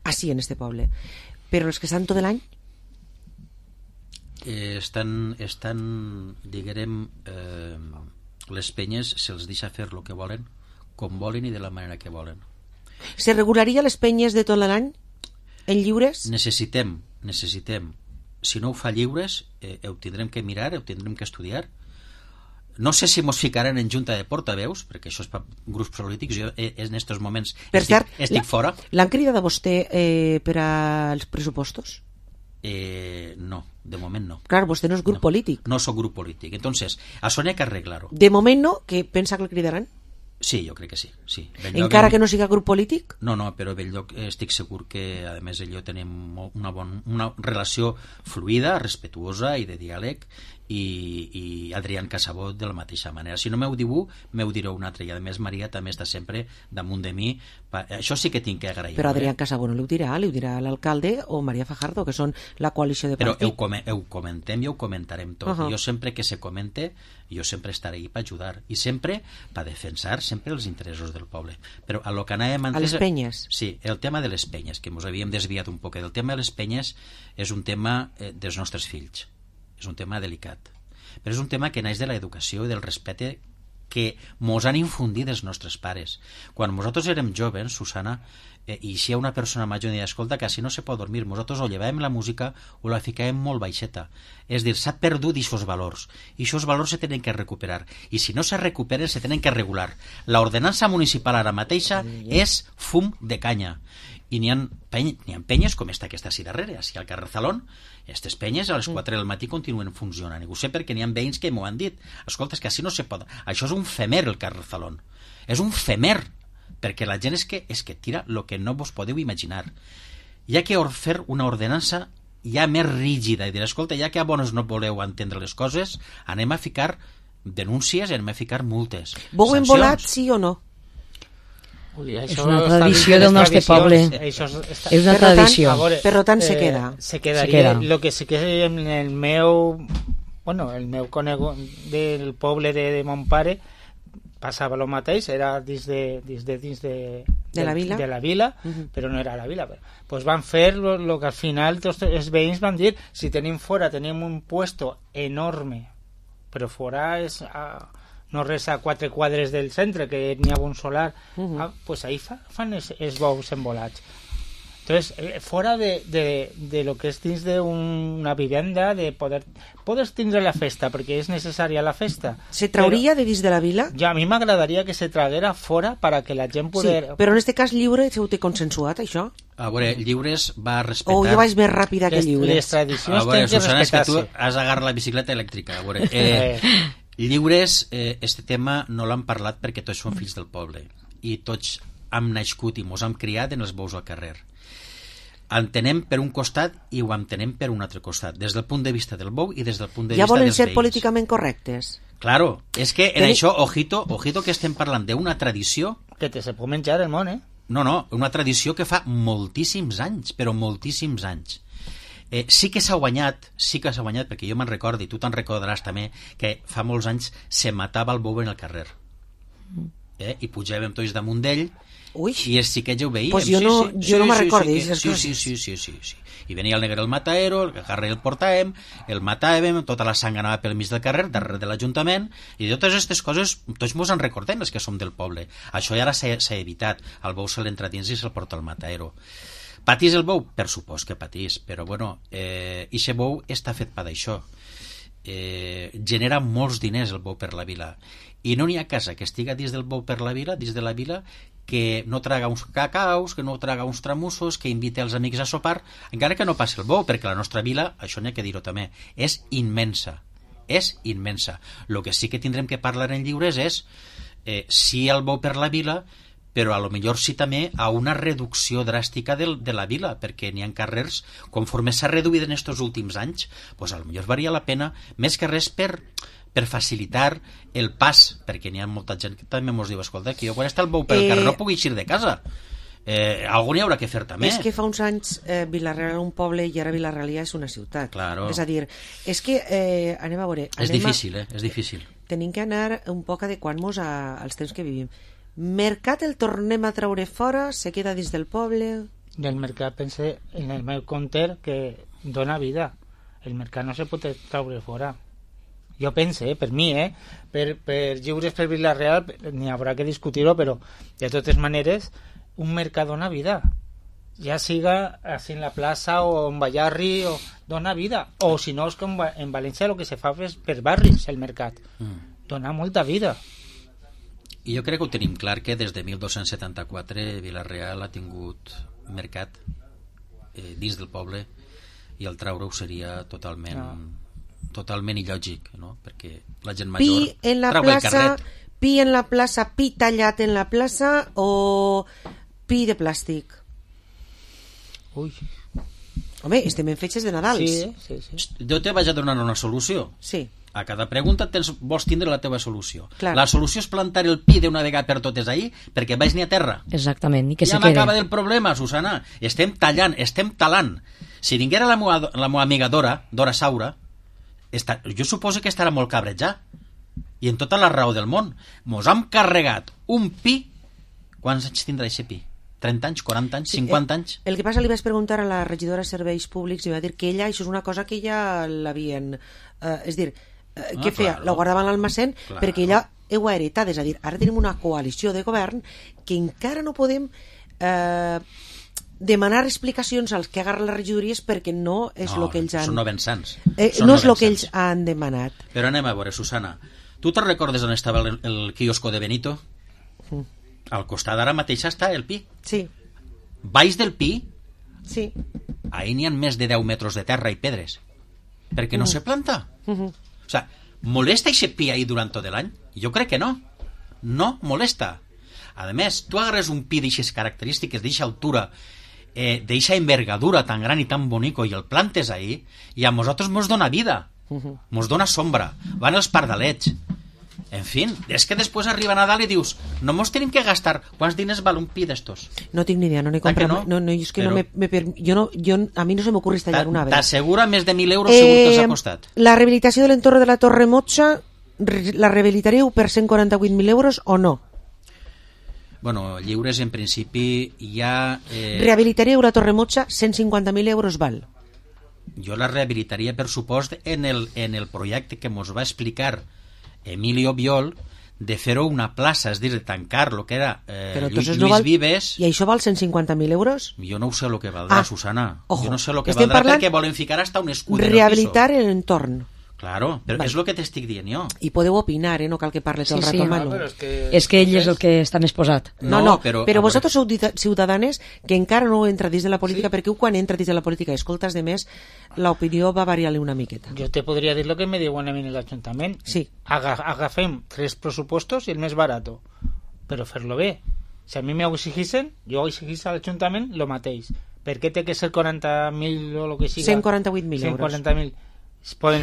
Així, en este poble. Però els que estan tot l'any? Estan diguem, Les penyes se'ls deixa fer el que volen, com volen i de la manera que volen. Se regularia les penyes de tot l'any en lliures? Necessitem, si no ho fa lliures, ho tindrem que mirar, ho tindrem que estudiar. No sé si mos ficaran en junta de portaveus, perquè això és per grups polítics. Jo en aquests moments estic fora. L'han cridat a vostè per als pressupostos? No, de moment no. Clar, vostè no és grup polític. No soc grup polític. Entonces, això n'hi ha que arreglar-ho. De moment no, que pensa que el cridaran? Sí, jo crec que sí. Encara que no siga grup polític? No, però a Belllloc estic segur que, a més, ell i jo tenim una relació fluida, respetuosa i de diàleg, i Adrián Casabot de la mateixa manera. Si no m'ho diu, m'ho direu un altre, i a més Maria també està sempre damunt de mi. Això sí que tinc que agrair. Però Adrián Casabot no li ho dirà l'alcalde o Maria Fajardo, que són la coalició de partit. Però ho comentem i ho comentarem tot. Jo sempre que se comente, jo sempre estaré ahí per ajudar i sempre per defensar sempre els interessos del poble. Però a lo que anàvem antes... A les penyes? Sí, el tema de les penyes, que ens havíem desviat un poc. El tema de les penyes és un tema dels nostres fills. És un tema delicat, però és un tema que naix de l'educació i del respecte que mos han infundit els nostres pares. Quan nosaltres érem joves, Susana, i si hi ha una persona major i deia, escolta, que si no se pot dormir, nosaltres o llevàvem la música o la ficàvem molt baixeta. És dir, s'ha perdut aquests valors, i aquests valors se tenen que recuperar, i si no se recuperen se tenen que regular. L'ordenança municipal ara mateixa és fum de canya, i n'hi ha penyes com esta que està així darrere, així al carrer Zalón. Aquestes penyes a les 4 del matí continuen funcionant, i ho sé perquè n'hi ha veïns que m'ho han dit. Escolta, és que així no se pot. Això és un femer, el carrer Zalón. És un femer, perquè la gent és que tira el que no vos podeu imaginar. Hi ha que fer una ordenança ja més rígida i dir, escolta, ja que a bones no voleu entendre les coses, anem a ficar denúncies i anem a ficar multes. Bou embolat, sí o no? Ui, és una tradició del nostre poble. És una tradició. Per tant, se queda. Se quedaria. Lo que sí que en el meu conegut del poble de mon pare passava el mateix, era dins de la vila, però no era la vila. Pues van fer lo que al final els veïns van dir, si tenim un puesto enorme, però fora és... no res a 4 quadres del centre, que n'hi ha un solar, pues ahí fan els bous embolats. Entonces, fora de lo que és dins d'una vivenda, de poder tindre la festa, perquè és necessària la festa. Se trauria de dins de la vila? Ja, a mi m'agradaria que se traguera fora para que la gent poder... Sí, però en este cas lliure ho té consensuat, això? A veure, Lliures va respectar... O jo vaig més ràpida que Lliures? Les tradicions tenen que respectar-se. És que tu has d'agarrar la bicicleta elèctrica. A veure, Lliures, este tema no l'han parlat perquè tots són fills del poble i tots hem nascut i mos hem criat en els bous al carrer. Entenem per un costat i ho entenem per un altre costat, des del punt de vista del bou i des del punt de vista dels veïns. Ja volen ser políticament correctes? Claro, és que en això, ojito que estem parlant d'una tradició... Que te se pot menjar el món, No, una tradició que fa moltíssims anys, però moltíssims anys. Sí que s'ha guanyat, perquè jo me'n recordo, i tu te'n recordaràs també, que fa molts anys se matava el bou en el carrer. I pujàvem tots damunt d'ell, i els xiquets ja ho veiem. Pues jo no me'n recordo. Sí. I venia el negre el mataero, el carrer el portàvem, el matàvem, tota la sang anava pel mig del carrer, darrere de l'Ajuntament, i de totes aquestes coses tots mos en recordem, els que som del poble. Això ja ara s'ha evitat, el bou se l'entra dins i se'l porta al mataero. Patís el bou? Per supost que patís, però bueno, ixe bou està fet per això. Genera molts diners el bou per la vila, i no n'hi ha casa que estiga dins del bou per la vila, dins de la vila, que no traga uns cacaus, que no traga uns tramussos, que invite els amics a sopar, encara que no passi el bou, perquè la nostra vila, això n'hi ha que dir-ho també, és immensa. El que sí que tindrem que parlar en Lliures és si el bou per la vila, però a lo millor sí també a una reducció dràstica de la vila, perquè n'hi ha carrers, conforme s'ha reduït en aquests últims anys, pues a lo millor valia la pena, més que res per facilitar el pas, perquè n'hi ha molta gent que també mos diu, escolta, que jo quan està el bou per el carrer no puc eixir de casa. Algú n'hi haurà que fer també. És que fa uns anys Vila-real era un poble i ara Vila-real ja és una ciutat. Claro. És a dir, és que anem a veure... És difícil. Tenim que anar un poc adequant-nos als temps que vivim. Mercat el tornem a traure fora, se queda dins del poble... I el mercat, pense en el meu compte, que dona vida. El mercat no se pot traure fora. jo pense, per mi, per Lliures per Vila-real n'hi haurà que discutir-ho, però de totes maneres un mercat dona vida, ja siga així en la plaça o en Ballarri, o dona vida, o si no és com en València el que se fa és per barris el mercat, dona molta vida. I jo crec que ho tenim clar, que des de 1274 Vila-real ha tingut mercat dins del poble, i el traure-ho seria totalment il·lògic, no? Perquè la gent major trau el carret. Pi en la plaça, pi tallat en la plaça o pi de plàstic? Ui. Home, estem en fetges de Nadals. Sí. Jo te vaig a donar una solució. Sí. A cada pregunta vols tindre la teva solució. Clar. La solució és plantar el pi d'una vegada per totes ahir, perquè vaig ni a terra. Exactament, i que ja se quede. m'acaba del problema, Susana. Estem tallant, estem talant. Si vinguera la meva amiga Dora Saura, jo suposo que estarà molt cabretjat. I en tota la raó del món. Mos hem carregat un pi. Quants anys tindrà aquest pi? 30 anys, 40 anys, 50 anys? El que passa, li vaig preguntar a la regidora de Serveis Públics i va dir que ella, això és una cosa que ja l'havien... és dir, què feia? Claro. La guardava a l'almacén, Claro. perquè ella ho ha heretat. És a dir, ara tenim una coalició de govern que encara no podem demanar explicacions als que agarren les regidories, perquè no és el que ells han... Són novensans. No és el que ells han demanat. Però anem a veure, Susana. Tu te'n recordes on estava el quiosco de Benito? Al costat ara mateix està el pi. Sí. Baix del pi, Sí. ahí n'hi ha més de 10 metres de terra i pedres. Perquè no se planta. O sea, ¿molesta ese pi ahí durant tot l'any? Jo crec que no. No molesta. A més, tu agarres un pi d'eixes característiques, d'eixa altura, d'eixa envergadura tan gran i tan bonico, i el plantes ahí, i a nosaltres mos dona vida. Mos dona sombra. Van els pardalets. En fi, és que després arriba Nadal i dius, no mos tenim que gastar. Quants diners val un pi d'estos? No tinc ni idea, no n'he comprat. no? És que Però... a mi no se m'ocorre tallar un arbre. T'assegura més de 1.000 euros segur que els ha costat. La rehabilitació de l'entorn de la Torre Motxa, la rehabilitaríeu per 148.000 euros o no? Bueno, lliures en principi ja... Rehabilitaríeu la Torre Motxa, 150.000 euros val. Jo la rehabilitaria, per supost, en el projecte que mos va explicar Emilio Biol, de fer-ho una plaça, és dir, de tancar el que era Lluís Vives. I això val 150.000 euros? Jo no ho sé el que valdrà, Susana. Ojo, jo no sé el que valdrà perquè volen ficar hasta un escut en el piso. Rehabilitar l'entorn. Claro, però és el que t'estic dient jo. I podeu opinar, no cal que parles tot el rato malo. És que ell és el que està més posat. No, però vosaltres sou ciutadanes que encara no entra dins de la política, perquè quan entra dins de la política i escoltes de més, l'opinió va variar-li una miqueta. Jo te podria dir lo que me diuen a mi en l'Ajuntament. Sí. Agafem 3 pressupostos i el més barato, però fer-lo bé. Si a mi m'ho exigissen, jo exigís a l'Ajuntament lo mateix. Per què té que ser 40.000 o lo que siga? 148.000 euros. 140.000.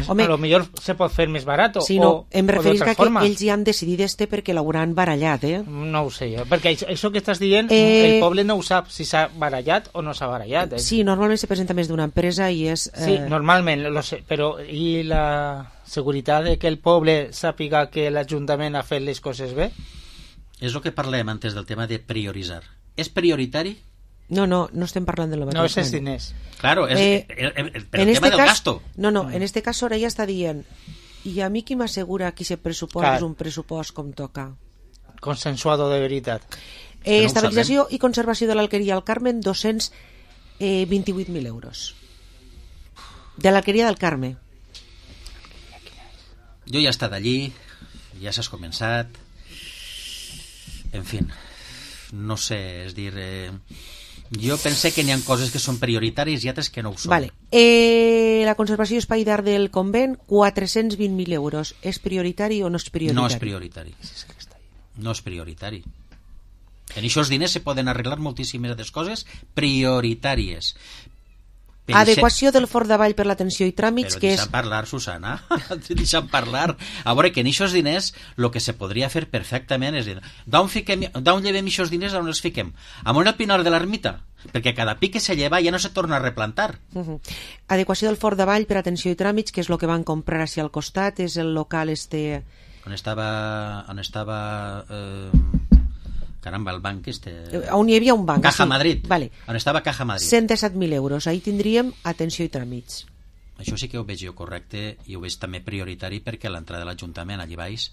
Home, a lo millor se pot fer més barato. Sí, no, em referís que forma. ells ja han decidit perquè l'hauran barallat, No ho sé jo, perquè això que estàs dient, el poble no ho sap si s'ha barallat o no s'ha barallat. Sí, normalment se presenta més d'una empresa i és... Sí, normalment, lo sé, però i la seguretat de que el poble sàpiga que l'Ajuntament ha fet les coses bé? És el que parlem antes del tema de prioritzar. És prioritari? No estem parlant de lo mateix. No, és els diners. Claro, el tema del gasto. No, en este cas ara ja està dient, i a mi qui m'assegura que aquest pressupost és un pressupost com toca? Consensuado de veritat. Estabilització i conservació de l'Alqueria al Carmen, 228.000 euros. De l'Alqueria del Carme. Jo ja he estat allí, ja s'has començat, en fi, no sé, és dir... Jo pense que n'hi ha coses que són prioritàries i altres que no ho són. Vale. La conservació d'espai d'art del convent, 420.000 euros. És prioritari o no és prioritari? No és prioritari. No és prioritari. En aquests diners se poden arreglar moltíssimes altres coses prioritàries. Adequació del Fort d'Avall per l'atenció i tràmits, però que és... deixa'm parlar, Susana, deixa'm parlar. A veure, que en aquests diners el que se podria fer perfectament és dir, d'on llevem aquests diners, d'on els fiquem? Amunt al Pinar de l'Ermita, perquè cada pic que se lleva ja no se torna a replantar. Adequació del Fort d'Avall per atenció i tràmits, que és el que van comprar així al costat, és el local On estava caramba, el banc on hi havia un banc. Caja Madrid. Vale. On estava Caja Madrid. 117.000 euros. Ahí tindríem atenció i tràmits. Això sí que ho veig jo correcte i ho veig també prioritari, perquè a l'entrada de l'Ajuntament allí baix,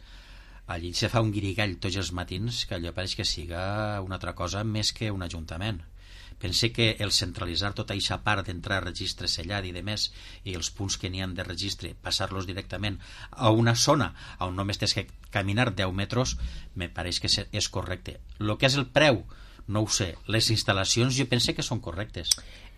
allí se fa un guirigall tots els matins que allò pareix que siga una altra cosa més que un ajuntament. Pense que el centralitzar tota aquesta part d'entrar a registre sellat i de més, i els punts que n'hi han de registre, passar-los directament a una zona on només tens que caminar 10 metres, me pareix que és correcte. El que és el preu, no ho sé. Les instal·lacions jo pense que són correctes.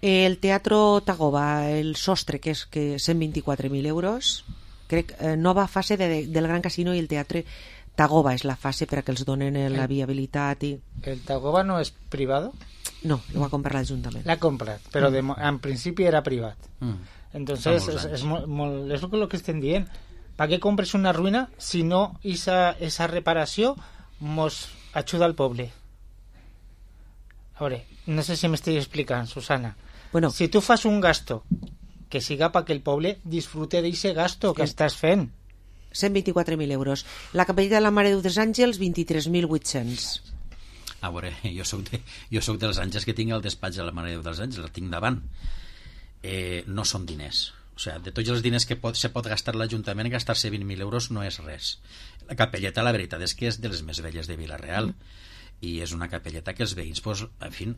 El Teatro Tagoba, el sostre, que és 124.000 euros, crec, nova fase del Gran Casino, i el Teatre Tagoba és la fase per a que els donen la viabilitat. ¿El Tagoba no es privado? No, lo va a comprar l'Ajuntament. La compra, pero en principio era privat. Entonces es lo que estén diciendo. ¿Para qué compres una ruïna si no esa reparació mos ajuda al poble? A veure, no sé si m'estic explicant, Susana. Bueno, si tu fas un gasto que siga para que el poble disfrute d'eixe gasto que estàs fent. 124.000 euros. La capelleta de la Mare de Déu dels Àngels, 23.800. A veure, jo soc dels Àngels que tinc el despatx de la Mare de Déu dels Àngels, el tinc davant. No són diners. O sigui, de tots els diners que se pot gastar l'Ajuntament, gastar-se 20.000 euros no és res. La capelleta, la veritat és que és de les més velles de Vila-real, i és una capelleta que els veïns, pues, en fi,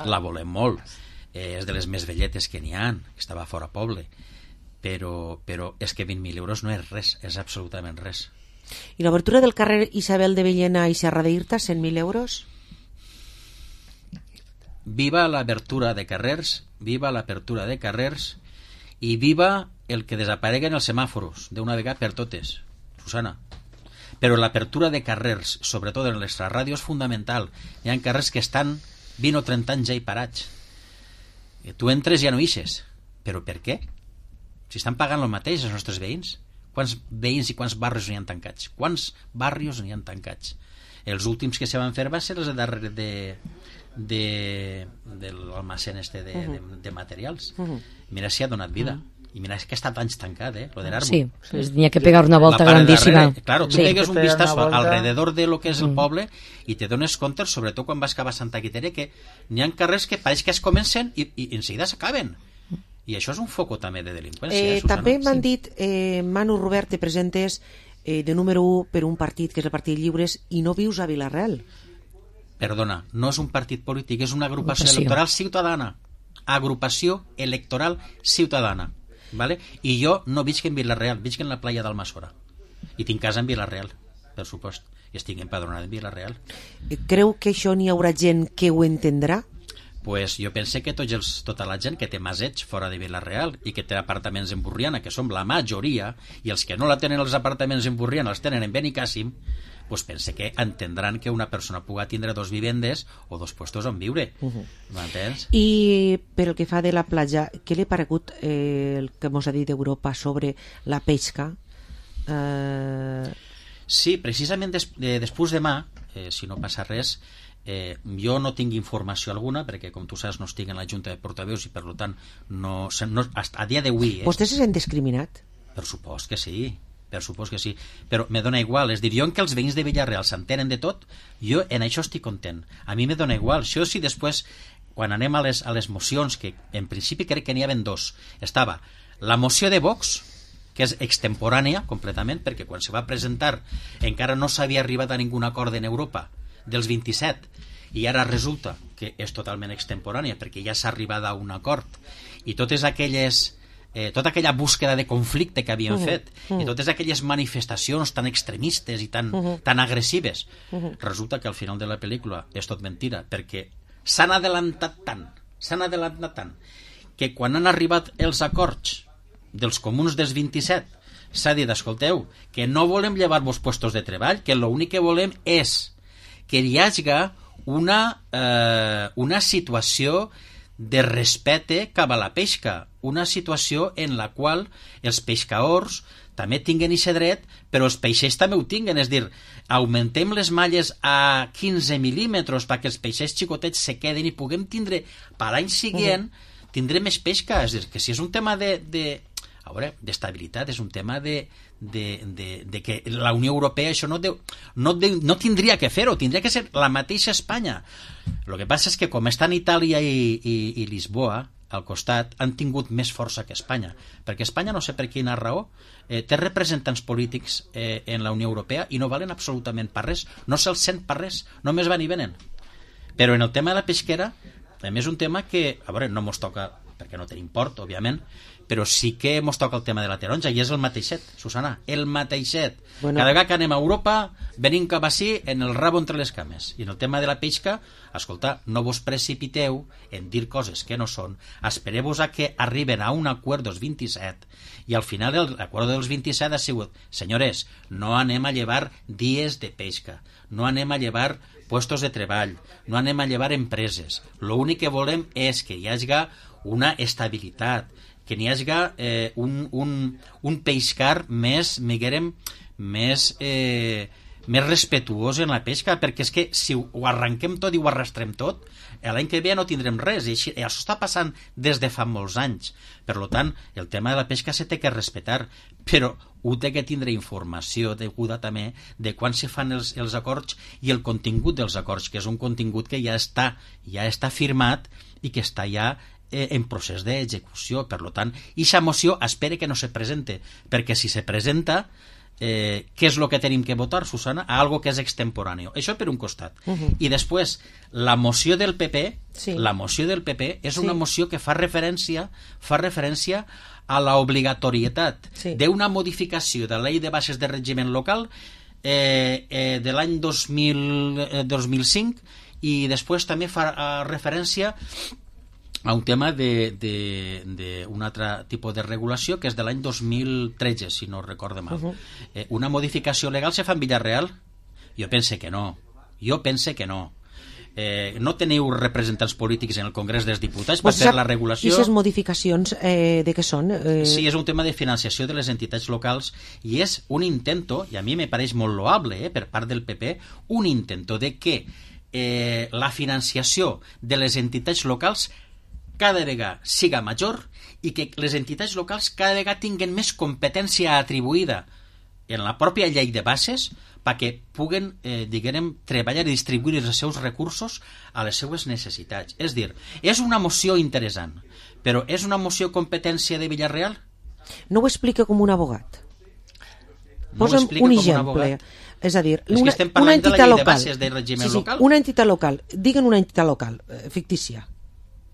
la volem molt. És de les més velletes que n'hi ha, que estava fora poble, però és que 20.000 euros no és res, és absolutament res. I l'obertura del carrer Isabel de Villena i Serra d'Irta, 100.000 euros? Viva l'apertura de carrers, viva l'apertura de carrers, i viva el que desapareguen els semàforos d'una vegada per totes, Susana. Però l'apertura de carrers, sobretot en l'extraràdio, és fundamental. Hi ha carrers que estan 20 o 30 anys ja hi parats. Tu entres i ja no ixes. Però per què? Si estan pagant el mateix els nostres veïns. Quants veïns i quants barris n'hi han tancats? Quants barris n'hi han tancats? Els últims que se van fer van ser els de darrere de l'almacén de materials. Mira si ha donat vida. I mira que ha estat anys tancat, lo de l'Armo. Sí, pues tenía que pegar una volta grandíssima. Claro, tu pegues un vistazo alrededor de lo que és el poble i te dones compte, sobretot quan vas cap a Santa Quiteria, que n'hi ha carrers que pareix que es comencen i en seguida s'acaben. I això és un foco també de delinqüència. També m'han dit, Manu Robert, te presentes de número 1 per un partit que és el Partit Lliures i no vius a Vila-real. Perdona, no és un partit polític, és una agrupació electoral ciutadana. Agrupació electoral ciutadana. ¿Vale? I jo no visc en Vila-real, visc en la playa d'Almassora i tinc casa en Vila-real, per supost, i estic empadronat en Vila-real. Creu que això n'hi haurà gent que ho entendrà? Pues jo pense que tota la gent que té maseig fora de Vila-real i que té apartaments en Burriana, que som la majoria, i els que no la tenen els apartaments en Burriana els tenen en Benicàssim, pues pense que entendran que una persona puga tindre 2 vivendes o 2 puestos on viure. M'entens? I per el que fa de la platja, què li ha paregut el que mos ha dit Europa sobre la pesca? Sí, precisament després demà, si no passa res, jo no tinc informació alguna, perquè com tu saps no estic en la Junta de Portaveus i per tant a dia d'avui... Vostè se sent discriminat? Per supost que sí. Per supòs que sí, però me dona igual. És dir, jo en que els veïns de Villarreal s'entenen de tot, jo en això estic content. A mi me dona igual. Això sí, després, quan anem a les mocions, que en principi crec que n'hi havia 2, estava la moció de Vox, que és extemporània completament, perquè quan se va presentar encara no s'havia arribat a ningun acord en Europa dels 27, i ara resulta que és totalment extemporània perquè ja s'ha arribat a un acord, i totes aquelles... tota aquella búsqueda de conflicte que havien fet i totes aquelles manifestacions tan extremistes i tan agressives, resulta que al final de la pel·lícula és tot mentira, perquè s'han adelantat tant que quan han arribat els acords dels comuns dels 27 s'ha dit, escolteu, que no volem llevar-vos puestos de treball, que l'únic que volem és que hi hagi una situació de respecte cap a la pesca, una situació en la qual els pescadors també tinguen aquest dret, però els peixers també ho tinguen, és dir, augmentem les malles a 15 mil·límetres perquè els peixers xicotets se queden i puguem tindre, per l'any següent, tindrem més pesca. És dir, que si és un tema d'estabilitat, és un tema de que la Unió Europea això no tindria que fer-ho, tindria que ser la mateixa Espanya. El que passa és que com estan Itàlia i Lisboa, al costat, han tingut més força que Espanya, perquè Espanya, no sé per quina raó, té representants polítics en la Unió Europea i no valen absolutament per res, no se'ls sent per res, només van i venen. Però en el tema de la pesquera, a més un tema que, a veure, no mos toca, perquè no tenim port, òbviament, però sí que mos toca el tema de la taronja, i és el mateixet, Susana, el mateixet. Bueno. Cada vegada que anem a Europa, venim cap així en el rabo entre les cames. I en el tema de la pesca, escolta, no vos precipiteu en dir coses que no són, espereu-vos a que arriben a un acord dels 27, i al final l'acord dels 27 ha sigut, senyores, no anem a llevar dies de pesca, no anem a llevar puestos de treball, no anem a llevar empreses, l'únic que volem és que hi hagi una estabilitat, que n'hi hagi un pescar més, més respetuós en la pesca, perquè és que si ho arranquem tot i ho arrastrem tot, l'any que ve no tindrem res, i això està passant des de fa molts anys. Per tant, el tema de la pesca se té que respetar, però ho té que tindre informació deguda també de quan se fan els acords i el contingut dels acords, que és un contingut que ja està firmat i que està ja en procés d'execució. Per tant, aquesta moció espera que no se presente, perquè si se presenta, què és el que tenim que votar, Susana? A algo que és extemporáneo. Això per un costat. I després, la moció del PP, és una moció que fa referència a la obligatorietat d'una modificació de la llei de bases de règim local de l'any 2005, i després també fa referència a un tema d'un altre tipus de regulació que és de l'any 2013, si no recordo mal. Una modificació legal se fa en Villarreal? Jo pense que no. No teniu representants polítics en el Congrés dels Diputats per fer la regulació? I aquestes modificacions de què són? Sí, és un tema de financiació de les entitats locals i és un intento, i a mi me pareix molt loable per part del PP, un intento de que la financiació de les entitats locals cada vegada siga major i que les entitats locals cada vegada tinguen més competència atribuïda en la pròpia llei de bases perquè puguen, treballar i distribuir els seus recursos a les seues necessitats. És dir, és una moció interessant, però és una moció competència de Villarreal? No ho explica com un abogat. Posa'm un exemple. És a dir, una entitat local. Una entitat local. Diguen una entitat local, fictícia.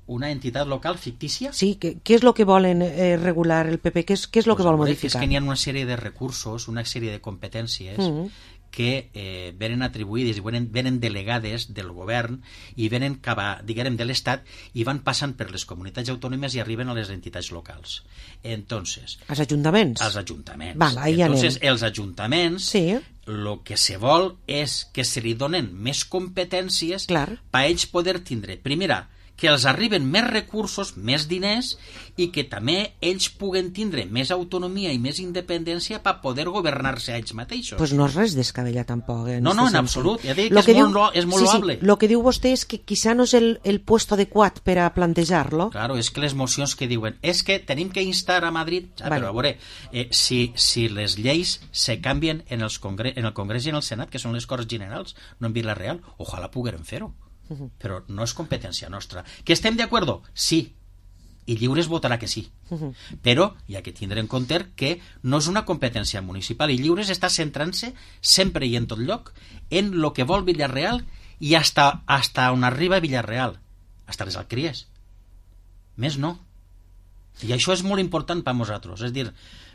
Una entitat local fictícia? Sí, què és el que volen regular el PP? Què és el que vol modificar? És que n'hi ha una sèrie de recursos, una sèrie de competències que venen atribuïdes i venen delegades del govern i venen de l'Estat i van passant per les comunitats autònomes i arriben a les entitats locals. Entonces, als ajuntaments? Als ajuntaments. Val, entonces, els ajuntaments, el que se vol és que se li donen més competències per ells poder tindre, primera, que els arriben més recursos, més diners, i que també ells puguen tindre més autonomia i més independència per poder governar-se a ells mateixos. Pues no és res descabellat tampoc. No, en absolut. Ja dic que és molt loable. El que diu vostè és que quizá no és el puesto adequat per a plantejar-lo. Claro, és que les mocions que diuen és que tenim que instar a Madrid, però a veure, si les lleis se canvien en el Congrés i en el Senat, que són les Corts Generals, no en Villarreal, ojalà poguérem fer-ho. Però no és competència nostra. Que estem d'acord? Sí. I Lliures votarà que sí. Però hi ha que tindre en compte que no és una competència municipal i Lliures està centrant-se sempre i en tot lloc en el que vol Villarreal i hasta on arriba Villarreal. Hasta les Alqueries. Més no. I això és molt important per a nosaltres. És dir,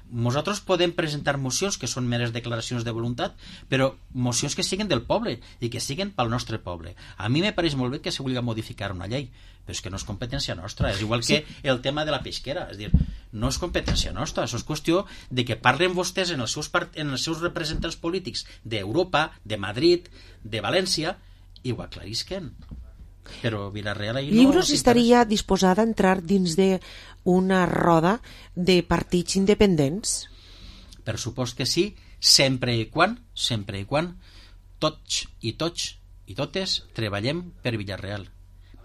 nosaltres podem presentar mocions que són meres declaracions de voluntat, però mocions que siguin del poble i que siguin pel nostre poble. A mi me pareix molt bé que se vulgui modificar una llei, però és que no és competència nostra. És igual que el tema de la pesquera. És dir, no és competència nostra. Això és qüestió de que parlen vostès en els seus representants polítics d'Europa, de Madrid, de València, i ho aclarisquen. Però Villarreal ahir no... Lliures estaria disposada a entrar dins d'una roda de partits independents? Per supost que sí, sempre i quan tots i totes treballem per Villarreal.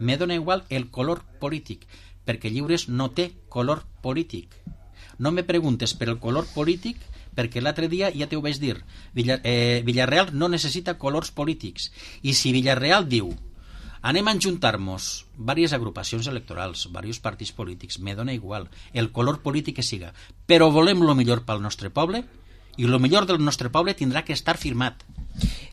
Me dona igual el color polític, perquè Lliures no té color polític. No me preguntes per el color polític, perquè l'altre dia ja t'ho vaig dir. Villarreal no necessita colors polítics. I si Villarreal diu Anem a juntar-nos diverses agrupacions electorals, diversos partits polítics, me dona igual, el color polític que siga, però volem lo millor pel nostre poble, i lo millor del nostre poble tindrà que estar firmat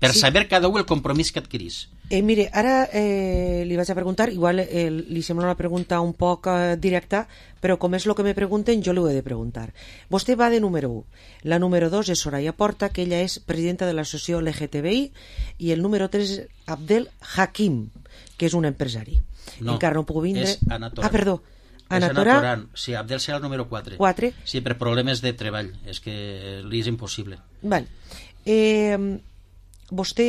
per saber cada un el compromís que adquirís. Mire, ara li vaig a preguntar, igual li sembla una pregunta un poc directa, però com és el que me pregunten, jo li ho he de preguntar. Vostè va de número 1. La número 2 és Soraya Porta, que ella és presidenta de l'associació LGTBI, i el número 3 és Abdel Hakim, que és un empresari. No, encara no puc vindre... és Ana Toran. Perdó. Ana Toran. Sí, Abdel serà el número 4. 4. Sí, per problemes de treball. És que li és impossible. Vale. Vostè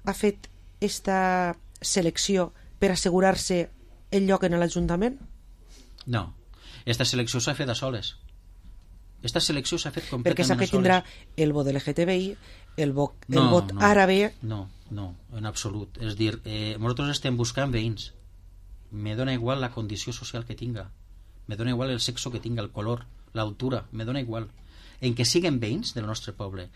ha fet esta selecció per assegurar-se el lloc en l'Ajuntament? No. Esta selecció s'ha fet a soles. Esta selecció s'ha fet completament perquè sap que a soles. tindrà el vot LGTBI, el vot àrabe... No, en absolut. És dir, nosaltres estem buscant veïns. Me dona igual la condició social que tinga, me dona igual el sexo que tinga, el color, l'altura, me dona igual. En que siguen veïns del nostre poble,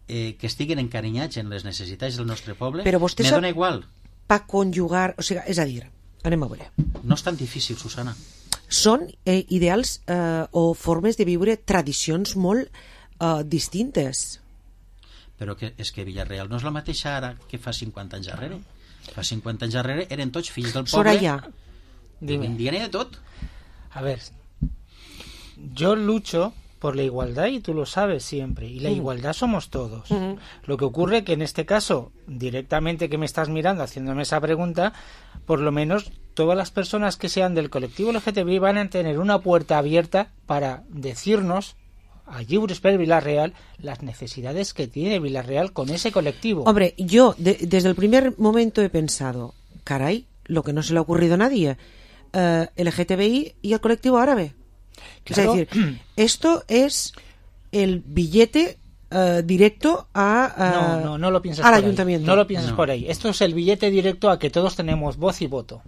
que estiguin encarinyats en les necessitats del nostre poble, me dona igual. Pa conjugar, o sigui, és a dir, anem a veure. No és tan difícil, Susana. Són ideals o formes de viure tradicions molt distintes. Però és que Villarreal no és la mateixa ara que fa 50 anys darrere. Fa 50 anys darrere eren tots fills del poble. Soraya, vendien de tot. A ver, yo lucho por la igualdad y tú lo sabes siempre, y la igualdad somos todos. Lo que ocurre que en este caso, directamente que me estás mirando haciéndome esa pregunta, por lo menos todas las personas que sean del colectivo LGTBI van a tener una puerta abierta para decirnos a Lliures per Villarreal las necesidades que tiene Villarreal con ese colectivo. Hombre, yo desde el primer momento he pensado, caray, lo que no se le ha ocurrido a nadie, LGTBI y el colectivo árabe. Claro. Es decir, esto es el billete directo a no lo pienses al por ayuntamiento. Ahí. No lo pienses por ahí. Esto es el billete directo a que todos tenemos voz y voto.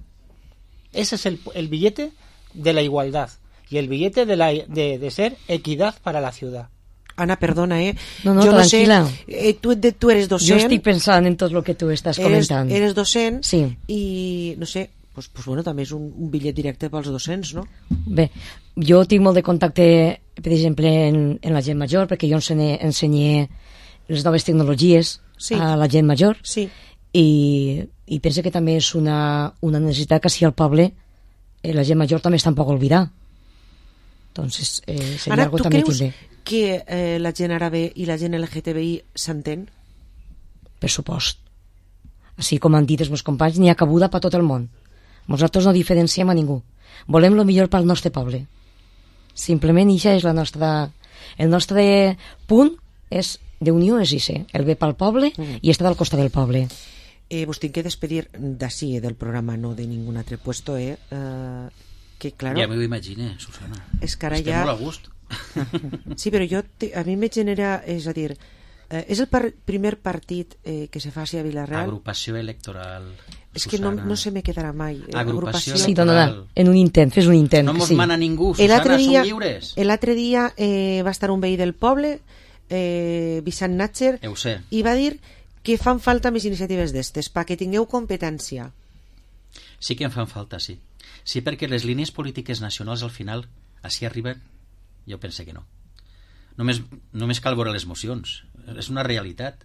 Ese es el billete de la igualdad. Y el billete de ser equidad para la ciudad. Ana, perdona, No, yo tranquila. No sé, tú eres docent. Yo estoy pensando en todo lo que tú estás comentando. Eres docent, sí. I, no sé, pues bueno, també és un bitllet directe pels docents, no? Bé, jo tinc molt de contacte, per exemple, en la gent major, perquè jo ensenyé les noves tecnologies a la gent major, i penso que també és una necessitat que si al poble la gent major també està un poc oblidada. Entonces, sería Ana, algo ¿tú también creus que la gent árabe i la gent LGTBI s'entén? Per supost. Així com han dit els meus companys, n'hi ha cabuda per tot el món. Nosaltres no diferenciem a ningú. Volem el millor pel nostre poble. Simplement, això és el nostre punt és d'unió, és això, el bé pel poble i estar al costat del poble. Vos tinc que despedir d'ací, del programa, no de ningún altre puesto, que claro, ja m'ho imagine, Susana. És que ara estem ja... molt a gust. Sí, però a mi me genera, és a dir, és el primer partit que se faci a Villarreal. Agrupació electoral, és que no se me quedarà mai. Agrupació sí, electoral. En un intent, fes un intent. No mos sí. mana ningú, Susana, som lliures. L'altre dia va estar un veí del poble, Vicent Natcher, i va dir que fan falta més iniciatives d'estes, perquè tingueu competència. Sí que en fan falta, sí. Sí, perquè les línies polítiques nacionals al final així arriben, jo pense que no. Només cal veure les mocions. És una realitat.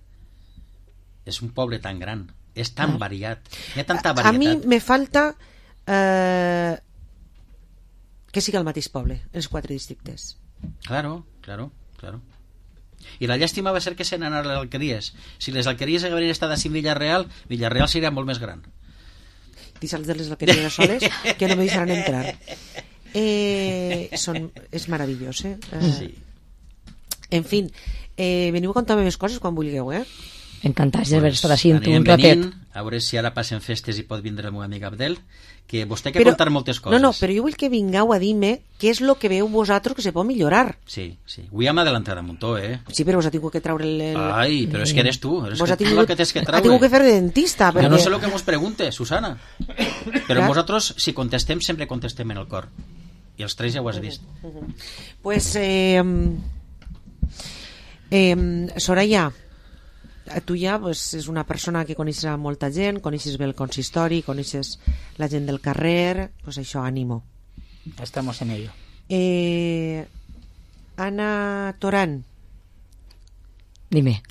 És un poble tan gran, és tan variat, hi ha tanta varietat. A mi me falta que siga el mateix poble, els 4 districtes. Claro. I la llàstima va ser que se n'anaren les alqueries. Si les alqueries haguessin estat a Villarreal, Villarreal seria molt més gran. Dissals de les alqueries soles que no me deixaran entrar. És meravellós, Sí. En fin, veniu a contar més coses quan vulgueu, Encantats d'haver estat així un ratet. A veure si ara passen festes i pot vindre el meu amic Abdel, que vostè ha de contar moltes coses. No, però jo vull que vingueu a dir-me què és el que veu vosaltres que se pot millorar. Sí. Avui hem adelantat un muntó, Sí, però vos ha tingut que treure el... Ai, però és que eres tu, vos ha tingut que fer de dentista. Jo no sé el que mos pregunte, Susana. Però vosaltres, si contestem, sempre contestem en el cor. I els 3 ja ho has vist. Pues, Soraya, tu ja és una persona que coneixes a molta gent, coneixes bé el consistori, coneixes la gent del carrer, pues això, ànimo. Estamos en ello. Ana Torán. Dime.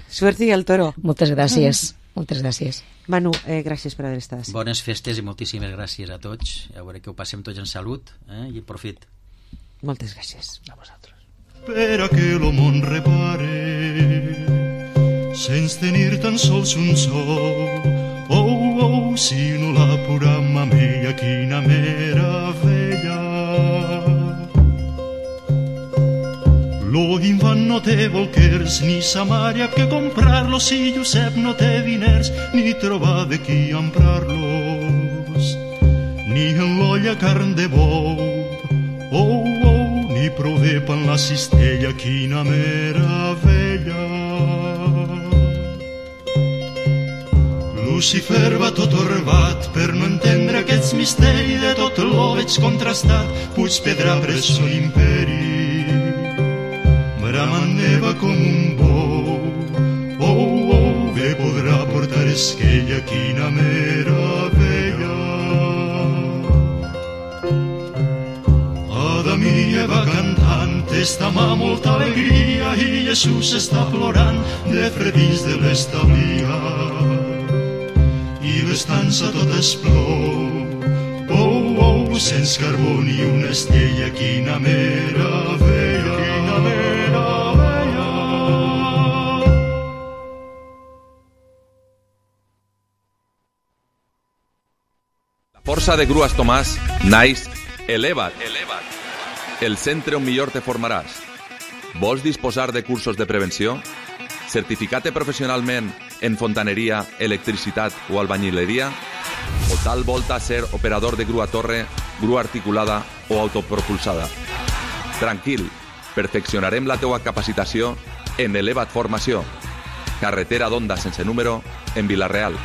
Suerte y al toro. Moltes gràcies. Moltes gràcies. Manu, gràcies per haver estat. Bones festes i moltíssimes gràcies a tots. A veure que ho passem tots en salut i profit. Moltes gràcies. A vosaltres. Per a que lo món repare sense tenir tan sols un sol. Oh, si no la pura mamella, quina meravella. Lo infant no té bolquers ni sa mare que comprar-lo, si Josep no té diners ni trobar de qui emprar-los, ni en l'olla carn de bou. Oh, ni prové pan la cistella, quina meravella. Lucifer va tot orbat per no entendre aquests misteris, de tot l'o veig contrastat, Puig Pedra pres son imperi. Bramant neva com un bou. Oh, bé podrà portar esquella, quina meravella. Adam i Eva cantant, està mà molta alegria, i Jesús està plorant de fredís de l'establia. I l'estança tot es plou. Oh, sense carbó ni una estella, quina meravella, quina meravella. La força de Grues Tomàs naix Eleva't, el centre on millor te formaràs. Vols disposar de cursos de prevenció? Certificat professionalment en fontaneria, electricitat o albañileria? O tal volta ser operador de grua torre, grua articulada o autopropulsada? Tranquil, perfeccionarem la teua capacitació en Eleva't Formació. Carretera d'Onda sense número en Vila-real.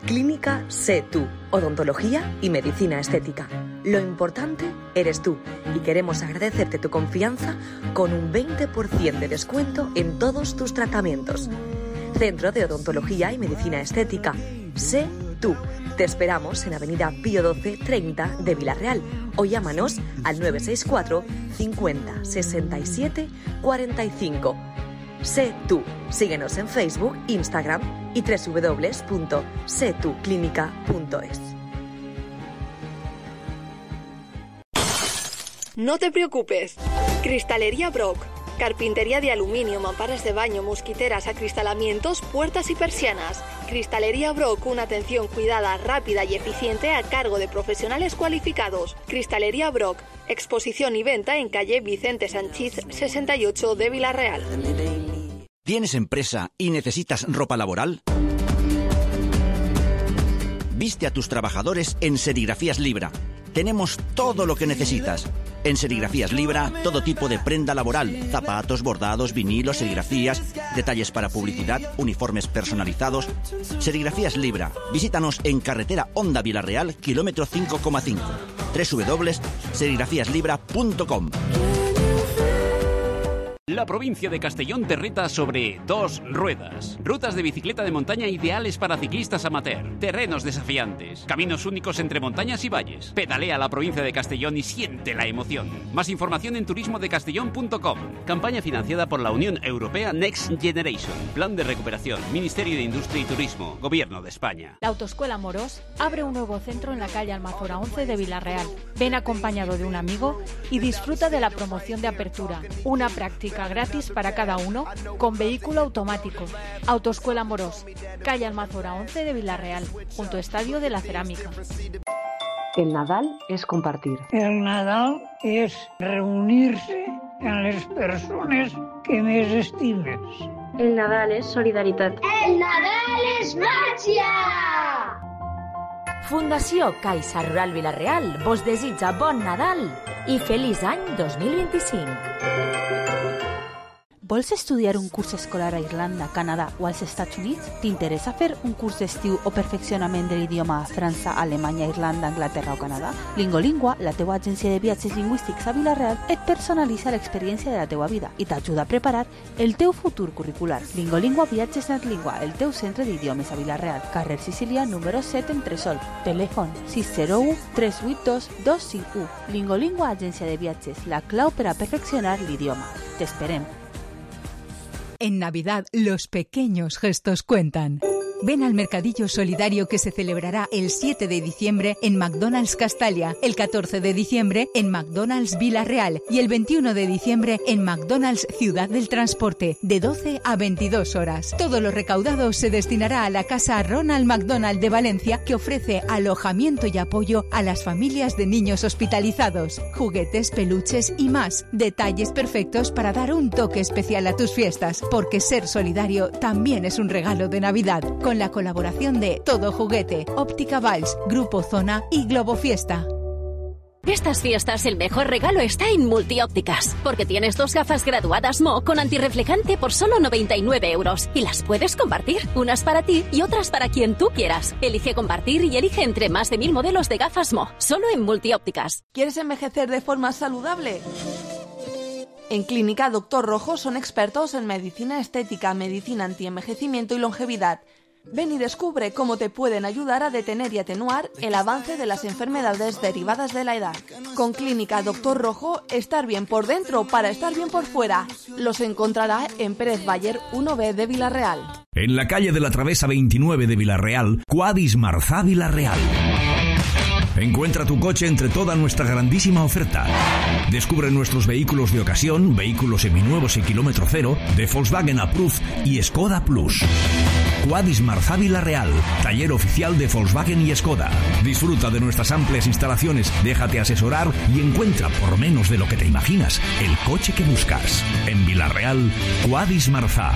Clínica Sé Tú, odontología y medicina estética. Lo importante eres tú y queremos agradecerte tu confianza con un 20% de descuento en todos tus tratamientos. Centro de Odontología y Medicina Estética. Sé Tú. Te esperamos en Avenida Pío XII 30 de Vila-real o llámanos al 964 50 67 45. Sé Tú. Síguenos en Facebook, Instagram y www.setuclinica.es. No te preocupes. Cristalería Brock. Carpintería de aluminio, mamparas de baño, mosquiteras, acristalamientos, puertas y persianas. Cristalería Brock, una atención cuidada, rápida y eficiente a cargo de profesionales cualificados. Cristalería Brock, exposición y venta en calle Vicente Sanchís 68 de Vila-real. ¿Tienes empresa y necesitas ropa laboral? Viste a tus trabajadores en Serigrafías Libra. Tenemos todo lo que necesitas. En Serigrafías Libra, todo tipo de prenda laboral, zapatos, bordados, vinilos, serigrafías, detalles para publicidad, uniformes personalizados. Serigrafías Libra. Visítanos en carretera Onda Vila-real, kilómetro 5,5. www.serigrafíaslibra.com. La provincia de Castellón te reta sobre 2 ruedas. Rutas de bicicleta de montaña ideales para ciclistas amateur. Terrenos desafiantes. Caminos únicos entre montañas y valles. Pedalea la provincia de Castellón y siente la emoción. Más información en turismodecastellón.com. Campaña financiada por la Unión Europea Next Generation. Plan de recuperación. Ministerio de Industria y Turismo. Gobierno de España. La Autoescuela Morós abre un nuevo centro en la calle Almazora 11 de Vila-real. Ven acompañado de un amigo y disfruta de la promoción de apertura. Una práctica gratis para cada uno con vehículo automático. Autoescuela Morós, calle Almazora 11 de Vila-real, junto Estadio de la Cerámica. El Nadal es compartir. El Nadal es reunirse con las personas que més estimes. El Nadal es solidaridad. El Nadal es màgia! Fundació Caixa Rural Vila-real vos desitja bon Nadal i feliç any 2025. Vols estudiar un curs escolar a Irlanda, Canadà o als Estats Units? T'interessa fer un curs d'estiu o perfeccionament de l'idioma a França, Alemanya, Irlanda, Anglaterra o Canadà? Lingolingua, la teua agència de viatges lingüístics a Vila-real, et personalitza l'experiència de la teua vida i t'ajuda a preparar el teu futur curricular. Lingolingua Viatges NetLingua, el teu centre d'idiomes a Vila-real, carrer Sicília, número 7 en Tresol. Telèfon 601 382 251. Lingolingua Agència de Viatges, la clau per a perfeccionar l'idioma. T'esperem. En Navidad, los pequeños gestos cuentan. Ven al mercadillo solidario que se celebrará el 7 de diciembre en McDonald's Castalia, el 14 de diciembre en McDonald's Vila-real y el 21 de diciembre en McDonald's Ciudad del Transporte, de 12 a 22 horas. Todo lo recaudado se destinará a la Casa Ronald McDonald de Valencia, que ofrece alojamiento y apoyo a las familias de niños hospitalizados, juguetes, peluches y más. Detalles perfectos para dar un toque especial a tus fiestas, porque ser solidario también es un regalo de Navidad. Con la colaboración de Todo Juguete, Óptica Valls, Grupo Zona y Globo Fiesta. Estas fiestas el mejor regalo está en Multiópticas, porque tienes 2 gafas graduadas Mo con antirreflejante por solo 99 euros y las puedes compartir, unas para ti y otras para quien tú quieras. Elige compartir y elige entre más de 1000 modelos de gafas Mo, solo en Multiópticas. ¿Quieres envejecer de forma saludable? En Clínica Doctor Rojo son expertos en medicina estética, medicina antienvejecimiento y longevidad. Ven y descubre cómo te pueden ayudar a detener y atenuar el avance de las enfermedades derivadas de la edad. Con Clínica Doctor Rojo, estar bien por dentro para estar bien por fuera. Los encontrará en Pérez Bayer 1B de Vila-real. En la calle de la Travesa 29 de Vila-real, Quadis Marzá Vila-real. Encuentra tu coche entre toda nuestra grandísima oferta. Descubre nuestros vehículos de ocasión, vehículos seminuevos y kilómetro cero, de Volkswagen Approved y Skoda Plus. Quadis Marzá Vila-real, taller oficial de Volkswagen y Skoda. Disfruta de nuestras amplias instalaciones, déjate asesorar y encuentra, por menos de lo que te imaginas, el coche que buscas. En Vila-real, Quadis Marzá.